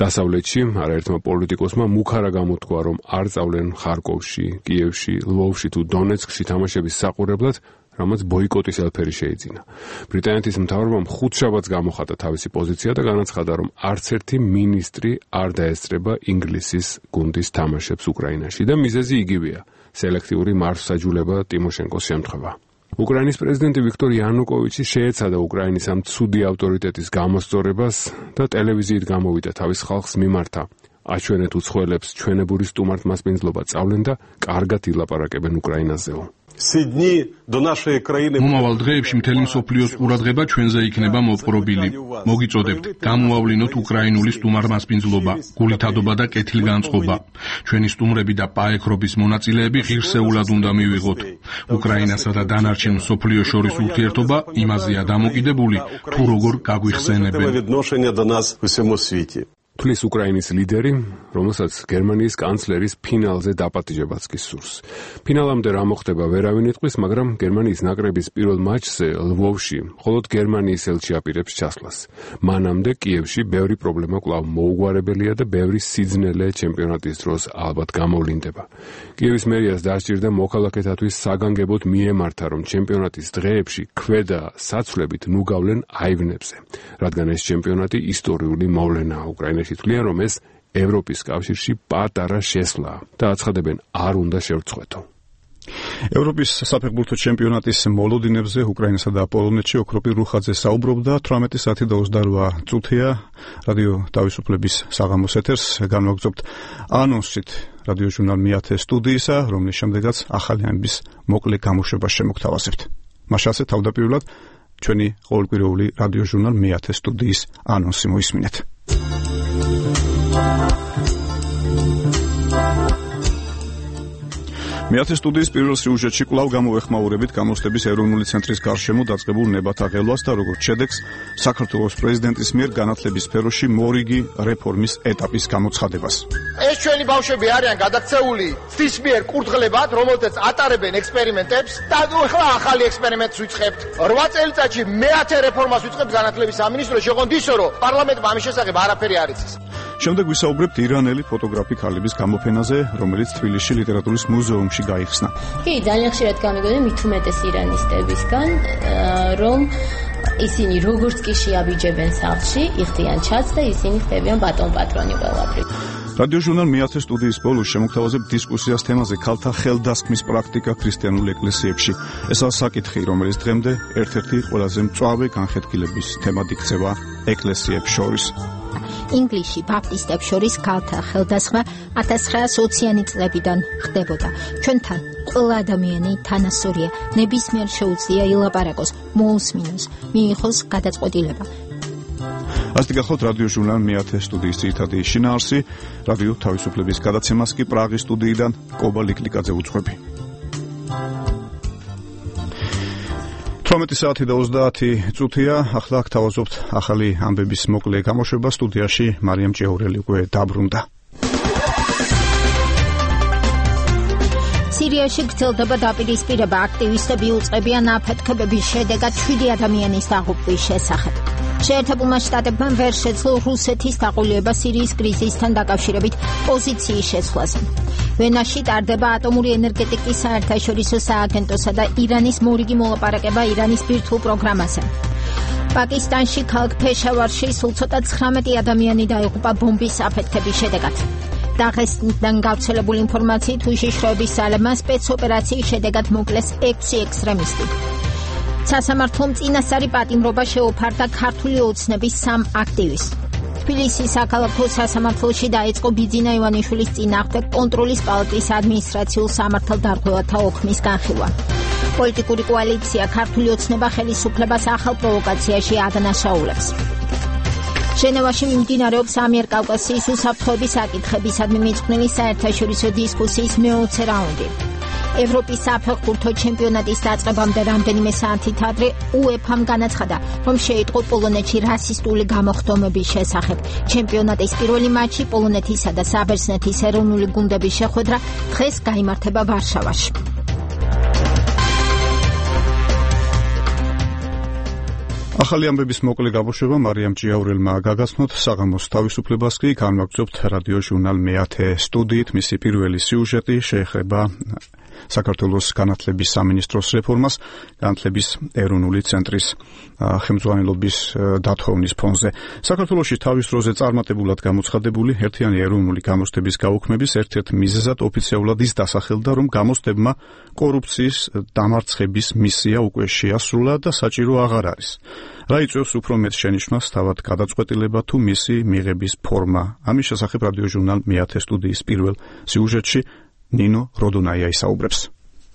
დასავლეთში არაერთმა პოლიტიკოსმა მუქარა გამოთქვა, რომ არ წავლენ ხარკოვში, კიევში, ლვოვში თუ დონეცკში თამაშების საყურებლად, რამაც ბოიკოტის ელფერი შეიძინა. ბრიტანეთის მთავრობამ ხუთშაბათს გამოხატა თავისი პოზიცია და განაცხადა, რომ არც ერთი მინისტრი არ დაესწრება ინგლისის გუნდის თამაშებს უკრაინაში და მიზეზი იგივეა: სელექტიური მარცხსაჯულება ტიმოშენკოს შემთხვევა. უკრაინის პრეზიდენტი ვიქტორ იანუკოვიჩი შეეცადა უკრაინის ამ ცუდი ავტორიტეტის გამოსწორებას და ტელევიზიით გამოვიდა თავის ხალხს მიმართა: აჩვენეთ უცხოელებს ჩვენებური სტუმართმასპინძლობა წავლენ და კარგად ილაპარაკებენ უკრაინაზეო. მომავალ დღეებში მთელი მსოფლიოს ყურადღება ჩვენზე იქნება მოპყრობილი. მოგიწოდებთ, გამოავლინოთ უკრაინული სტუმარმასპინძლობა, გულითადობა და კეთილგანწყობა. ჩვენი სტუმრები და პაექრობის მონაწილეები ღირსეულად უნდა მივიღოთ. უკრაინასა და დანარჩენ მსოფლიოს შორის ურთიერთობა იმაზეა დამოკიდებული, თუ როგორ გაგვიხსენებენ. თulis უკრაინის ლიდერი, რომელსაც გერმანიის კანცლერის ფინალზე დაპატიჟებაც კი სურს. ფინალამდე რა მოხდება ვერავინ იტყვის, მაგრამ გერმანიის ნაკრების პირველ მატჩზე ლვოვში მხოლოდ გერმანიის ელჩი აპირებს ჩასვლას. მანამდე კიევში ბევრი პრობლემა კვლავ მოუგვარებელია და ბევრი სიძნელე ჩემპიონატის დროს ალბათ გამოვლინდება. კიევის მერიას დასჭირდა მოქალაქეთათვის საგანგებოდ მიემართა, რომ ჩემპიონატის დღეებში ქვედა საცვლებით ნუ გავლენ აივნებზე, რადგან ეს ჩემპიონატი ისტორიული მოვლენაა უკრაინაში. თვლიან, რომ ეს ევროპის კავშირში პატარა შესვლაა და აცხადებენ, არ უნდა შევწყვეტო. ევროპის საფეხბურთო ჩემპიონატის მოლოდინებზე უკრაინასა და პოლონეთში ოქროპირ რუხაძე საუბრობდა. თვრამეტი საათი და ოცდარვა წუთია რადიო თავისუფლების საღამოს ეთერს განვაგრძობთ ანონსით რადიო ჟურნალ მეათე სტუდიისა, რომლის შემდეგაც ახალი ამბის მოკლე გამოშვებას შემოგთავაზებთ. მაშასე თავდაპირველად ჩვენი ყოველკვირეული რადიო ჟურნალ მეათე სტუდიის ანონსი მოისმინეთ. მეათე სტუდიის პირველ სიუჟეტში კვლავ გამოვეხმაურებით გამოცდების ეროვნული ცენტრის გარშემო დაწყებულ ნებათა ღელვას და როგორც შედეგს საქართველოს პრეზიდენტის მიერ განათლების სფეროში მორიგი რეფორმის ეტაპის გამოცხადებას. ეს ჩვენი ბავშვები არიან გადაქცეული ცდის მიერ კურდღლებად, რომელთაც ატარებენ ექსპერიმენტებს და ახლა ახალი ექსპერიმენტს ვიწყებთ. რვა წელიწადში მეათე რეფორმას ვიწყებთ განათლების სამინისტრო, შეგვიძლია ისო, რომ პარლამენტმა ამის შესახებ არაფერი არ იცის. შემდეგ ვისაუბრებთ ირანელი ფოტოგრაფი ქალების გამოფენაზე, რომელიც თბილისში ლიტერატურის მუზეუმში გაიხსნა. კი, ძალიან ხშირად გამიგონდა მით უმეტეს ირანისტებისგან, რომ ისინი როგორც კი შეაბიჯებენ სახლში, იხდიან ჩაც და ისინი ხდებიან ბატონ-პატრონი ყველაფრის. რადიო ჟურნალ მეათე სტუდიის ბოლოს შემოგთავაზებთ დისკუსიას თემაზე ქალთა ხელდასხმის პრაქტიკა ქრისტიანულ ეკლესიებში. ესაა საკითხი, რომელიც დღემდე ერთ-ერთი ყველაზე მწვავე განხეთქილების თემად იქცევა ეკლესიებს შორის. ინგლისში ბაპტისტებს შორის ქალთა ხელდასხმა ათას ცხრაასოციანი წლებიდან ხდებოდა. ჩვენთან ყველა ადამიანი თანასწორია, ნებისმიერ შეუძლია ილაპარაკოს, მოусმინოს, მიიღოს გადაწყვეტილება. ასეთი გახლავთ რადიო ჟურნალ მეათე სტუდიის ძირითადი შინაარსი, რადიო თავისუფლების გადაცემას კი პრაღის სტუდიიდან კობა ლიკლიკაძე უძღვები. თორმეტი საათი და ოცდაათი წუთია, ახლა აქ თავაზობთ ახალი ამბების მოკლე გამოშვება. სტუდიაში მარიამ ჭიაურელი უკვე დაბრუნდა. სირიაში გრძელდება დაპირისპირება, აქტივისტები უწყებიან აფეთქებების შედეგად შვიდი ადამიანის დაღუპვის შესახებ. შეერთებულმა შტატებმა ვერ შეძლო რუსეთის დაყოლება სირიის კრიზისთან დაკავშირებით პოზიციის შეცვლაზე. ვენაში ტარდება ატომური ენერგეტიკის საერთაშორისო სააგენტოსა და ირანის მორიგი მოლაპარაკება ირანის ბირთვულ პროგრამაზე. პაკისტანში ქალაქ ფეშავარში სულ ცოტა ცხრამეტი ადამიანი დაიღუპა ბომბის აფეთქების შედეგად. დაღესტნიდან გავრცელებული ინფორმაციით უშიშროების ძალებმა სპეცოპერაციის შედეგად მოკლეს ექვსი ექსტრემისტი. სასამართლომ წინასწარი პატიმრობა შეუფარდა ქართული ოცნების სამ აქტივისტს. თბილისის საქალაქო სასამართლოში დაიწყო ბიძინა ივანიშვილის წინააღმდეგ კონტროლის პალატის ადმინისტრაციულ სამართალდარღვევათა ოქმის განხილვა. პოლიტიკური კოალიცია ქართული ოცნება ხელისუფლებას ახალ პროვოკაციაში ადანაშაულებს. ჟენევაში მიმდინარეობს ამიერკავკასიის უსაფრთხოების საკითხებისადმი მიძღვნილი საერთაშორისო დისკუსიის მეოცე რაუნდი. ევროპის საფეხბურთო ჩემპიონატის დაწყებამდე რამდენიმე საათით ადრე უეფამ განაცხადა, რომ შეიტყო პოლონეთში რასისტული გამოხდომების შესახებ. ჩემპიონატის პირველი მატჩი პოლონეთისა და საბერძნეთის ეროვნული გუნდების შეხვედრა დღეს გაიმართება ვარშავაში. ახალი ამბების მოკლე გამოშვება მარიამ ჭიაურელმა გაგაცნოთ. საღამოს თავისუფლებას კი განვაგრძობთ რადიო ჟურნალ მეათე სტუდიით. მისი პირველი სიუჟეტი შეეხება საქართველოს განათლების სამინისტროს რეფორმას, განათლების ეროვნული ცენტრის ხელმძღვანელობის დათხოვნის ფონზე. საქართველოში თავის დროზე წარმატებულად გამოცხადებული ერთიანი ეროვნული გამოცდების გაუქმების ერთ-ერთ მიზეზად ოფიციალურად ის დასახელდა, რომ გამოცდებმა კორუფციის დამარცხების მისია უკვე შეასრულა და საჭირო აღარ არის. რა იწვევს უფრო მეტ შენიშვნას, თავად გადაწყვეტილება თუ მისი მიღების ფორმა? ამის შესახებ რადიო ჟურნალ მეათე სტუდიის პირველ სიუჟეტში ნინო როდონაია ისაუბრებს.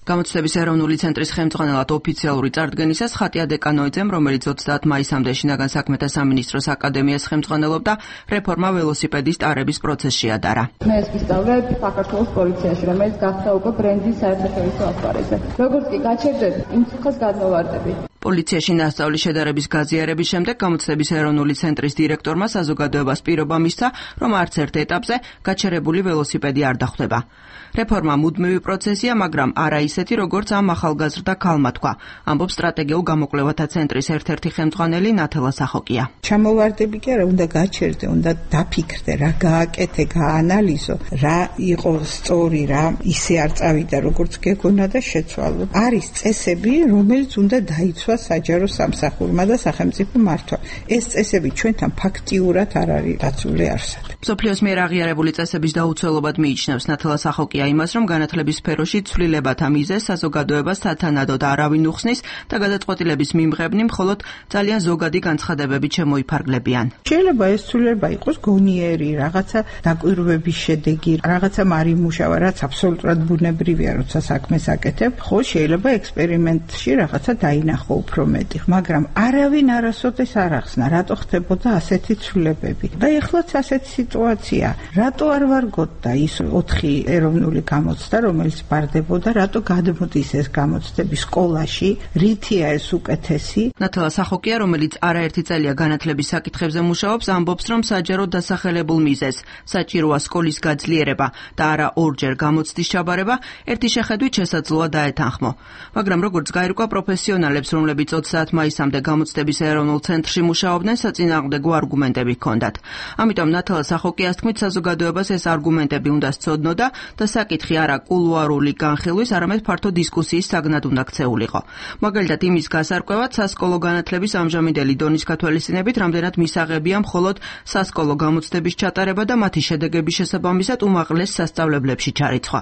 გამოცდების ეროვნული ცენტრის ხელმძღვანელად ოფიციალური წარდგენისას ხატია დეკანოიძემ, რომელიც ოცდაათ მაისამდე შინაგან საქმეთა სამინისტროს აკადემიას ხელმძღვანელობდა, რეფორმა ველოსიპედის ტარების პროცესში ადარა. მე ეს ვისწავლებ საქართველოს პოლიციაში, რომელიც გახდა უკვე ბრენდის საერთაშორისო ასპარეზზე. როგორც კი გაჩერდები, იმ ციხეს გადმოვარდები. პოლიციაში ნასწავლის შედარების გაზიარების შემდეგ გამოცდების ეროვნული ცენტრის დირექტორმა საზოგადოებას პირობა მისცა, რომ არც ერთ ეტაპზე გაჩერებული ველოსიპედი არ დახვდება. რეფორმა მუდმივი პროცესია, მაგრამ არა ისეთი, როგორც ამ ახალგაზრდა ქალმა თქვა, ამბობს სტრატეგიულ გამოკვლევათა ცენტრის ერთ-ერთი ხელმძღვანელი ნათელა სახოკია. ჩამოვარდები კი არა, უნდა გაჩერდე, უნდა დაფიქრდე, რა გააკეთე, გაანალიზო, რა იყო სწორი, რა ისე არ წავიდა, როგორც გეგონა და შეცვალო. არის წესები, რომელიც უნდა დაიცვას საჯარო სამსახურმა და სახელმწიფო მართვა. ეს წესები ჩვენთან ფაქტიურად არ არის დაცული არსად. მსოფლიოს მიერ აღიარებული წესების დაუცველობად მიიჩნევს ნათელა სახოკია იმას, რომ განათლების სფეროში ცვლილებათა მიზეზს საზოგადოებას სათანადოდ არავინ უხსნის და გადაწყვეტილების მიმღებნი მხოლოდ ძალიან ზოგადი განცხადებებით შემოიფარგლებიან. შეიძლება ეს ცვლილება იყოს გონიერი, რაღაცა დაკვირვების შედეგი, რაღაცა მარიმუშავა, რაც აბსოლუტურად ბუნებრივია, როცა საქმეს აკეთებ, ხო შეიძლება ექსპერიმენტში რაღაცა დაინახო უფრო მეტი, მაგრამ არავინ არასოდეს არ ახსნა, რატო ხდებოდა ასეთი ცვლილებები. და ეხლაც ასეთი სიტუაცია. რატო არ ვარგოთ ის ოთხი ეროვნული გამოცდა, რომელიც ბარდებოდა, რატო გადმოდის ეს გამოცდები სკოლაში, რითია ეს უკეთესი? ნათელა სახოკია, რომელიც არაერთი წელია განათლების საკითხებზე მუშაობს, ამბობს, რომ საჯაროდ დასახელებულ მიზეზს, საჭიროა სკოლის გაძლიერება და არა ორჯერ გამოცდის ჩაბარება, ერთი შეხედვით შესაძლოა დაეთანხმო. მაგრამ როგორც გაირკვა პროფესიონალებს, რომლებიც ოცდაათ მაისამდე გამოცდების ეროვნულ ცენტრში მუშაობდნენ, საწინააღმდეგო არგუმენტები ჰქონდათ. ამიტომ ნათელა სახოკიას თქმით, საზოგადოებას ეს არგუმენტები უნდა სცოდნოდა და საკითხი არა კულუარული განხილვის, არამედ ფართო დისკუსიის საგნად უნდა ქცეულიყო. მაგალითად, იმის გასარკვევად სასკოლო განათლების ამჟამინდელი დონის გათვალისწინებით, რამდენად მისაღებია მხოლოდ სასკოლო გამოცდების ჩატარება და მათი შედეგების შესაბამისად უმაღლეს სასწავლებლებში ჩარიცხვა.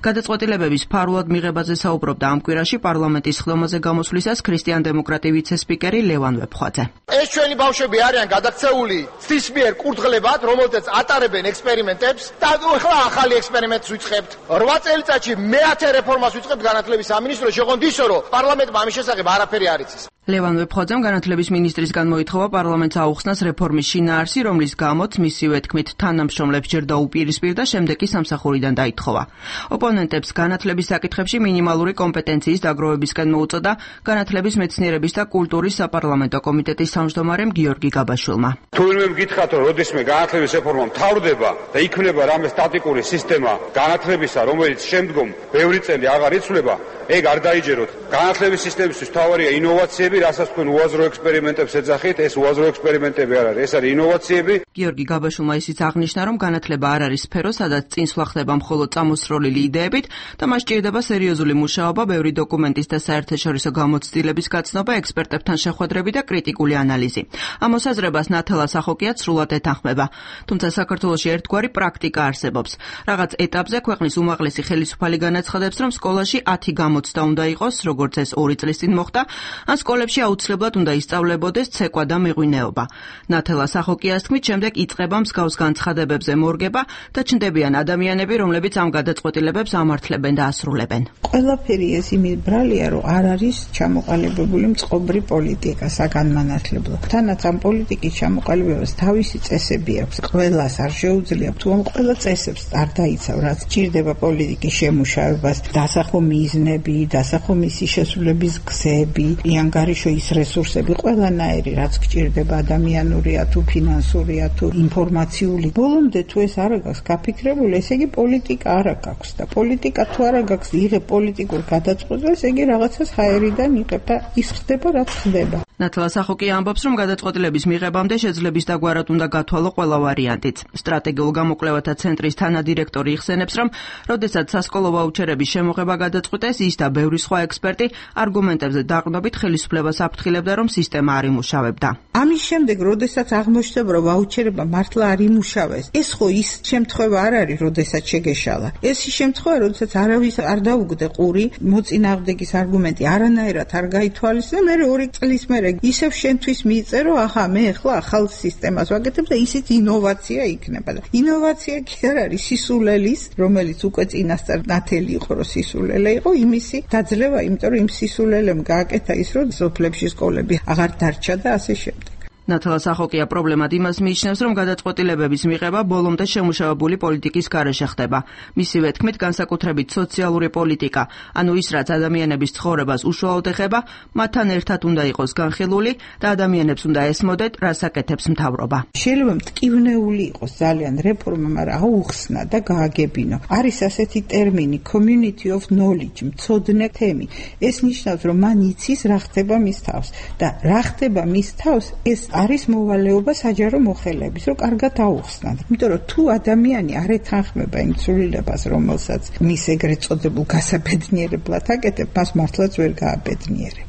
გადაწყვეტილებების ფარულად მიღებაზე საუბრობდა ამ კვირაში პარლამენტის ხდომაზე გამოსვლისას ქრისტიან ქრისტიან დემოკრატი ვიცე-სპიკერი ლევან ვეფხვაძე. ეს ჩვენი ბავშვები არიან გადაქცეული ცისმიერ კურდღლებად, რომელთაც ატარებენ ექსპერიმენტებს და ახლა ახალი ექსპერიმენტს ვიწყებთ. რვა წელიწადში მეათე რეფორმას ვიწყებთ განათლების სამინისტროში, შეგვიძლია ისო, რომ პარლამენტმა ამის შესახებ არაფერი არ იცის. ლევან ვეფხვაძემ განათლების მინისტრისგან მოითხოვა პარლამენტს აუხსნას რეფორმის შინაარსი, რომლის გამოც მისივე თქმით თანამშრომლებს ჯერ დაუპირისპირდა, შემდეგ კი სამსახურიდან დაითხოვა. ოპონენტებს განათლების საკითხებში მინიმალური კომპეტენციის დაგროვებისკენ მოუწოდა განათლების მეცნიერების და კულტურის საპარლამენტო კომიტეტის თავმჯდომარემ გიორგი გაბაშვილმა. თუ ვინმე მგითხათ, რომ როდისმე განათლების რეფორმა მთავრდება და იქნება რამე სტატიკური სისტემა განათლებისა, რომელიც შემდგომ ბევრი წელი აღარ იცვლება, ეგ არ დაიჯეროთ. განათლების სისტემისთვის მთავარია ინოვაციები, რასაც თქვენ უაზრო ექსპერიმენტებს ეძახით, ეს უაზრო ექსპერიმენტები არ არის, ეს არის ინოვაციები. გიორგი გაბაშვილმა ისიც აღნიშნა, რომ განათლება არ არის სფერო, სადაც წინსვლა ხდება მხოლოდ წამოსროლილი იდეებით და მას სჭირდება სერიოზული მუშაობა, ბევრი დოკუმენტის და საერთაშორისო გამოცდილების გაცნობა, ექსპერტებთან შეხვედრები და კრიტიკული ანალიზი. ამ მოსაზრებას ნათელა სახოკიაც სრულად ეთანხმება. თუმცა საქართველოში ერთგვარი პრაქტიკა არსებობს. რაღაც ეტაპზე ქვეყნის უმაღლესი ხელისუფალი განაცხადებს, რომ სკოლაში ათი გამოცდა უნდა იყოს, როგორც ეს ორი წლის წინ მოხდა, ან სკოლებში აუცილებლად უნდა ისწავლებოდეს ცეკვა და მეღვინეობა. ნათელა სახოკიას თქმით, შემდეგ იწყება მსგავს განცხადებებზე მორგება და ჩნდებიან ადამიანები, რომლებიც ამ გადაწყვეტილებებს ამართლებენ და ასრულებენ. ყველაფერი ეს იმით ბრალია, რომ არ არის ჩამოყალიბებული მწყობრი პოლიტიკა საგანმანათლებლო. თანაც ამ პოლიტიკის ჩამოყალიბებას თავისი წესები აქვს. ყველას არ შეუძლია, თუ ამ ყველა წესებს არ დაიცავ, რაც ჭირდება პოლიტიკის შემუშავებას, დასახო მიზნები, დასახო მისი შესრულების გზები, ანგარიშო ის რესურსები, ყველანაირი, რაც გჭირდება ადამიანურია თუ ფინანსურია თუ ინფორმაციული. ბოლომდე თუ ეს არ აქვს გაფიქრებული, ესე იგი პოლიტიკა არ აქვს და პოლიტიკა თუ არ აქვს იღებ პოლიტიკურ გადაწყვეტილებას, იგი რაღაცას ჰაერიდან იღებ და ის ხდება, რაც ხდება. ნათელა სახოკია ამბობს, რომ გადაწყვეტილების მიღებამდე შეძლების დაგვარად უნდა გათვალო ყველა ვარიანტიც. სტრატეგიულ გამოკვლევათა ცენტრის თანადირექტორი იხსენებს, რომ როდესაც სასკოლო ვაუჩერების შემოღება გადაწყვიტეს, ის და ბევრი სხვა ექსპერტი არგუმენტებზე დაყრდნობით ხელისუფლებას აფრთხილებდა, რომ სისტემა არ იმუშავებდა. ამის შემდეგ, როდესაც აღმოჩნდება, რომ ვაუჩერება მართლა არ იმუშავეს, ეს ხო ის შემთხვევა არ არის, როდესაც შეგეშალა. ეს ის შემთხვევა, როდესაც არავის არ დაუგდე ყური, მოწინააღმდეგის არგუმენტი არანაირად არ გაითვალისწინე, მე ორი წლის მერე ისევ შენთვის მიიწერო, ახლა მე ახლა ახალ სისტემას ვაკეთებ და ისიც ინოვაცია იქნება. და ინოვაცია კი არ არის სისულელის, რომელიც უკვე წინასწარ ნათელი იყო, რომ სისულელე იყო, იმისი დაძლევა, იმიტომ რომ იმ სისულელემ გააკეთა ის, რომ სოფლებში სკოლები აღარ დარჩა და ასე შემდეგ. ნათელა სახოკია პრობლემად იმას მიიჩნევს, რომ გადაწყვეტილებების მიღება ბოლომდე შემუშავებული პოლიტიკის გარეშე ხდება. მისივე თქმით, განსაკუთრებით სოციალური პოლიტიკა, ანუ ის, რაც ადამიანების ცხოვრებას უშუალოდ ეხება, მათთან ერთად უნდა იყოს განხილული და ადამიანებს უნდა ესმოდეთ, რას აკეთებს მთავრობა. შეიძლება მტკივნეული იყოს ძალიან რეფორმა, მაგრამ აუხსნა და გააგებინო. არის ასეთი ტერმინი community of knowledge, მცოდნე თემი. ეს ნიშნავს, რომ მან იცის რა ხდება მის თავს და რა ხდება მის თავს, ეს არის მოვალეობა საჯარო მოხელეების, რომ კარგად აუხსნათ. იმიტომ რომ თუ ადამიანი არ ეთანხმება იმ ცვლილებას, რომელსაც მის ეგრეთ წოდებულ გასაბედნიერებლად აკეთებ, მას მართლაც ვერ გააბედნიერებ.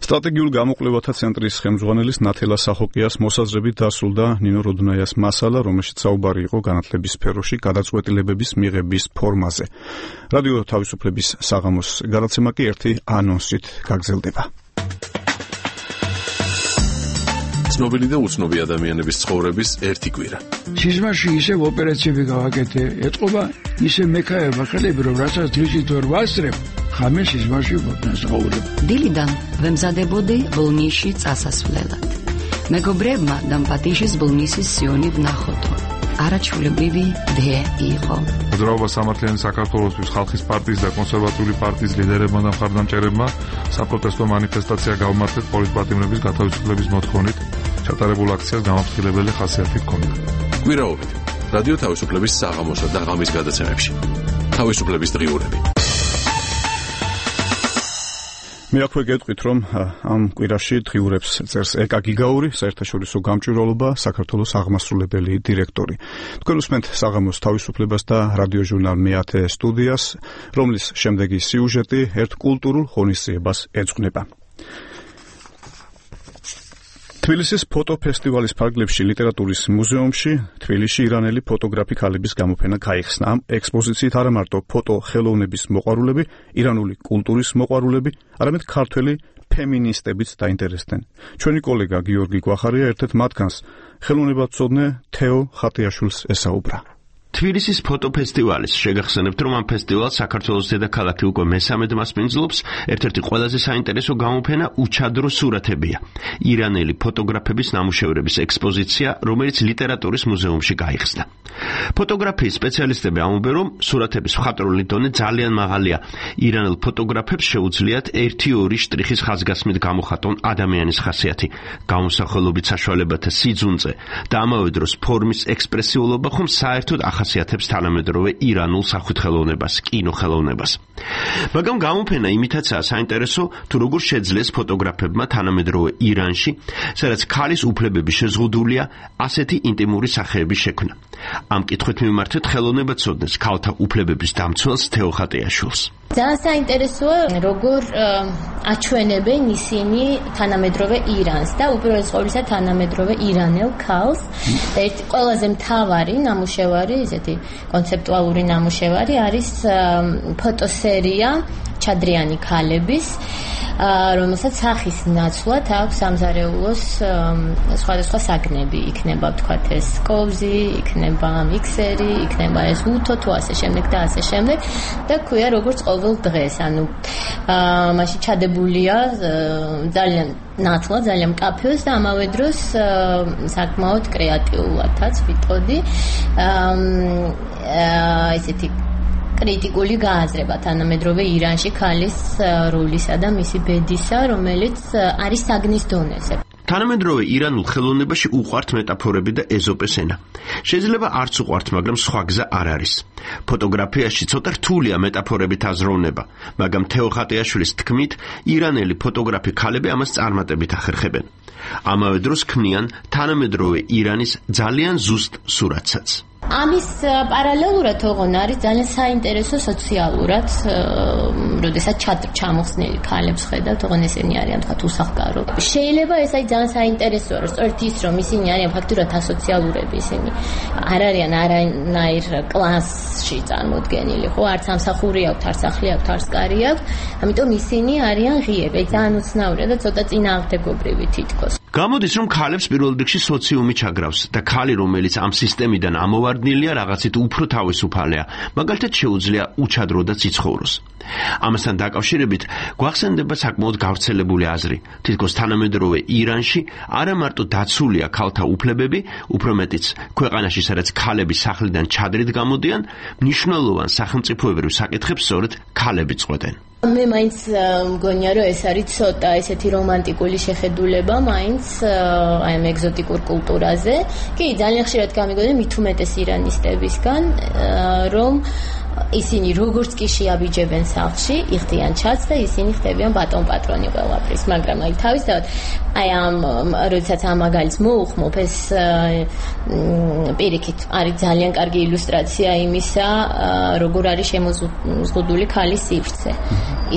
სტრატეგიულ გამოკვლევათა ცენტრის ხელმძღვანელის ნათელა სახოკიას მოსაზრებით დასრულდა ნინო როდნაიას მასალა, რომელშიც საუბარი იყო განათლების სფეროში გადაწყვეტილებების მიღების ფორმაზე. რადიო თავისუფლების საღამოს გადაცემა კი ერთი ანონსით გაგრძელდება. ცნობილი და უცნობი ადამიანების ცხოვრების ერთი კვირა. სიზმარში ისევ ოპერაციები გავაკეთე, ეთყობა ისე მექაება ხელები, რომ რასაც დღისით ვერ ვასწრებ, ხამე სიზმარში ვაცხოვრებ. დილიდან ვემზადებოდი ბოლნისში წასასვლელად. მეგობრებმა დამპატიშის ბოლნისის სიონი ვნახოთო. არაჩვეულებრივი დე იყო. მოძრაობა სამართლიანი საქართველოსთვის ხალხის პარტიის და კონსერვატიული პარტიის ლიდერებმა და მხარდამჭერებმა საპროტესტო მანიფესტაცია გავმართეთ პოლიტპატიმრების გათავისუფლების მოთხოვნით. ჩატარებულ აქციას გამაფრთხილებელი ხასიათი ჰქონდა. კვირაობით რადიო თავისუფლების საღამოსა და ღამის გადაცემებში. თავისუფლების დღიურები. მე აქვე გეტყვით, რომ ამ კვირაში დღიურებს წერს ეკა გიგაური, საერთაშორისო გამჭვირვალობა, საქართველოს აღმასრულებელი დირექტორი. თქვენ უსმენთ საღამოს თავისუფლებას და რადიოჟურნალ მეათე სტუდიას, რომლის შემდეგი სიუჟეტი ერთ კულტურულ ღონისძიებას ეძღვნება. თბილისის ფოტოფესტივალის ფარგლებში ლიტერატურის მუზეუმში თბილისში ირანელი ფოტოგრაფი ქალების გამოფენა გაიხსნა. ამ ექსპოზიციით არა მარტო ფოტო ხელოვნების მოყვარულები, ირანული კულტურის მოყვარულები, არამედ ქართველი ფემინისტებიც დაინტერესდნენ. ჩვენი კოლეგა გიორგი გვახარია ერთ-ერთ მათგანს ხელოვნებაცოდნე თეო ხატიაშვილს ესაუბრა. თბილისის ფოტოფესტივალის შეგახსენებთ, რომ ამ ფესტივალს საქართველოს დედაქალაქი უკვე მესამედ მასპინძლობს. ერთ-ერთი ყველაზე საინტერესო გამოფენა უჩადრო სურათებია. ირანელი ფოტოგრაფების ნამუშევრების ექსპოზიცია, რომელიც ლიტერატურის მუზეუმში გაიხსნა. ფოტოგრაფიის სპეციალისტები ამბობენ, რომ სურათების მხატვრული დონე ძალიან მაღალია. ირანელ ფოტოგრაფებს შეუძლიათ ერთი-ორი შტრიხის ხაზგასმით გამოხატონ ადამიანის ხასიათი, გამოსახულობით საშუალებათა სიძუნწე და ამავე დროს ფორმის ექსპრესიულობა, ხომ საერთოდ ახასიათებს თანამედროვე ირანულ სახვითხელოვნებას, კინოხელოვნებას. მაგრამ გამოფენა იმითაცაა საინტერესო, თუ როგორ შეძლეს ფოტოგრაფებმა თანამედროვე ირანში, სადაც ქალის უფლებები შეზღუდულია, ასეთი ინტიმური სახეების შექმნა. ამ კითხვით მიმართეთ ხელოვნებაცოდნეს ქალთა უფლებების დამცველს თეო ხატიაშვილს. ძალიან საინტერესოა, როგორ აჩვენებენ ისინი თანამედროვე ირანს და უპირველეს ყოვლისა თანამედროვე ირანელ ქალს. ერთი ყველაზე მთავარი ნამუშევარი, ესეთი კონცეპტუალური ნამუშევარი არის ფოტოსერია ჩადრიანი ქალების, რომელსაც სახის ნაცვლად აქვს სამზარეულოს სხვადასხვა საგნები, იქნება ვთქვათ ეს კოვზი, იქნება მიქსერი, იქნება ეს უთო თუ ასე შემდეგ და ასე შემდეგ და ქვია როგორც ყოველ დღეს, ანუ მაშინ ჩადებულია ძალიან ნაცვლად, ძალიან მკაფიოს და ამავე დროს საკმაოდ კრეატიულადაც ვიტყოდი ესეთი კრიტიკული გააზრება თანამედროვე ირანში ქალის როლისა და მისი ბედისა, რომელიც არის საგნის დონეზე. თანამედროვე ირანულ ხელოვნებაში უყვართ მეტაფორები და ეზოპეს ენა. შეიძლება არც უყვართ, მაგრამ სხვა გზა არ არის. ფოტოგრაფიაში ცოტა რთულია მეტაფორებით აზროვნება, მაგრამ თეო ხატიაშვილის თქმით, ირანელი ფოტოგრაფი ქალები ამას წარმატებით ახერხებენ. ამავე დროს ქმნიან თანამედროვე ირანის ძალიან ზუსტ სურათსაც. ამის პარალელურად ოღონ არის ძალიან საინტერესო სოციალურად, როდესაც ჩამოხსნილი ქალებს ხედავთ, ოღონ ესენი არიან თქვათ უსახკარო. შეიძლება ეს არის ძალიან საინტერესოა, რომ სწორედ ის, რომ ისინი არიან ფაქტურად ასოციალურები, ისინი არ არიან არანაირ კლასში წარმოდგენილი, ხო, არც სამსახური აქვთ, არც სახლი აქვთ, არც კარი აქვთ, ამიტომ ისინი არიან ღიები, ძალიან უცნაურია და ცოტა წინააღმდეგობრივი თითქოს. გამოდის, რომ ქალებს პირველ რიგში სოციუმი ჩაგრავს და ქალი, რომელიც ამ სისტემიდან ამოვარდნილია, რაღაცით უფრო თავისუფალია, მაგალითად შეუძლია უჩადროდაც იცხოვროს. ამასთან დაკავშირებით გვახსენდება საკმაოდ გავრცელებული აზრი, თითქოს თანამედროვე ირანში არა მარტო დაცულია ქალთა უფლებები, უფრო მეტიც ქვეყანაში, სადაც ქალები სახლიდან ჩადრით გამოდიან, მნიშვნელოვან სახელმწიფოებრივ საკითხებს სწორედ ქალები წყვეტენ. მე მაინც მგონია, რომ ეს არის ცოტა ესეთი რომანტიკული შეხედულება, მაინც აი ამ ეგზოტიკურ კულტურაზე. კი, ძალიან ხშირად გამიგონია მით უმეტეს ირანისტებისგან, რომ ისინი როგორც კი შეაბიჯებენ სახლში, იხდიან ჩაც და ისინი ხდებიან ბატონ პატრონი ყველაფრის, მაგრამ აი თავისთავად აი ამ როდესაც ამ მაგალითს მოუხმობ, ეს პირიქით არის ძალიან კარგი ილუსტრაცია იმისა, როგორ არის შემოზღუდული ქალის სივრცე.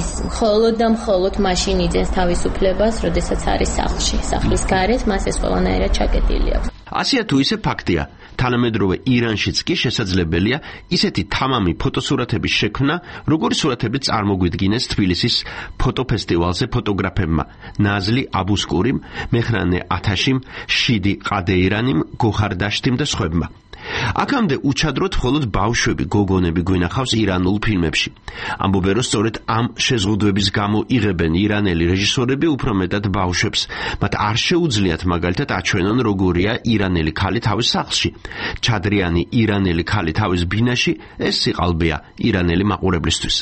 ის მხოლოდ და მხოლოდ მაშინ იძენს თავისუფლებას, როდესაც არის სახლში, სახლის გარეთ, მას ეს ყველანაირად ჩაკეტილი აქვს. ასეა თუ ისე ფაქტია, თანამედროვე ირანშიც კი შესაძლებელია ისეთი თამამი ფოტოსურათების შექმნა, როგორი სურათები წარმოგვიდგინეს თბილისის ფოტოფესტივალზე ფოტოგრაფებმა ნაზლი აბუსკურიმ, მეხრანე ათაშიმ, შიდი ყადეირანიმ, გოხარ დაშტიმ და სხვებმა. აქამდე უჩადროდ მხოლოდ ბავშვები, გოგონები გვინახავს ირანულ ფილმებში. ამბობენ, რომ სწორედ ამ შეზღუდვების გამო იღებენ ირანელი რეჟისორები უფრო მეტად ბავშვებს. მათ არ შეუძლიათ მაგალითად აჩვენონ, როგორია ირანელი ქალი თავის სახლში. ჩადრიანი ირანელი ქალი თავის ბინაში, ეს სიყალბეა ირანელი მაყურებლისთვის.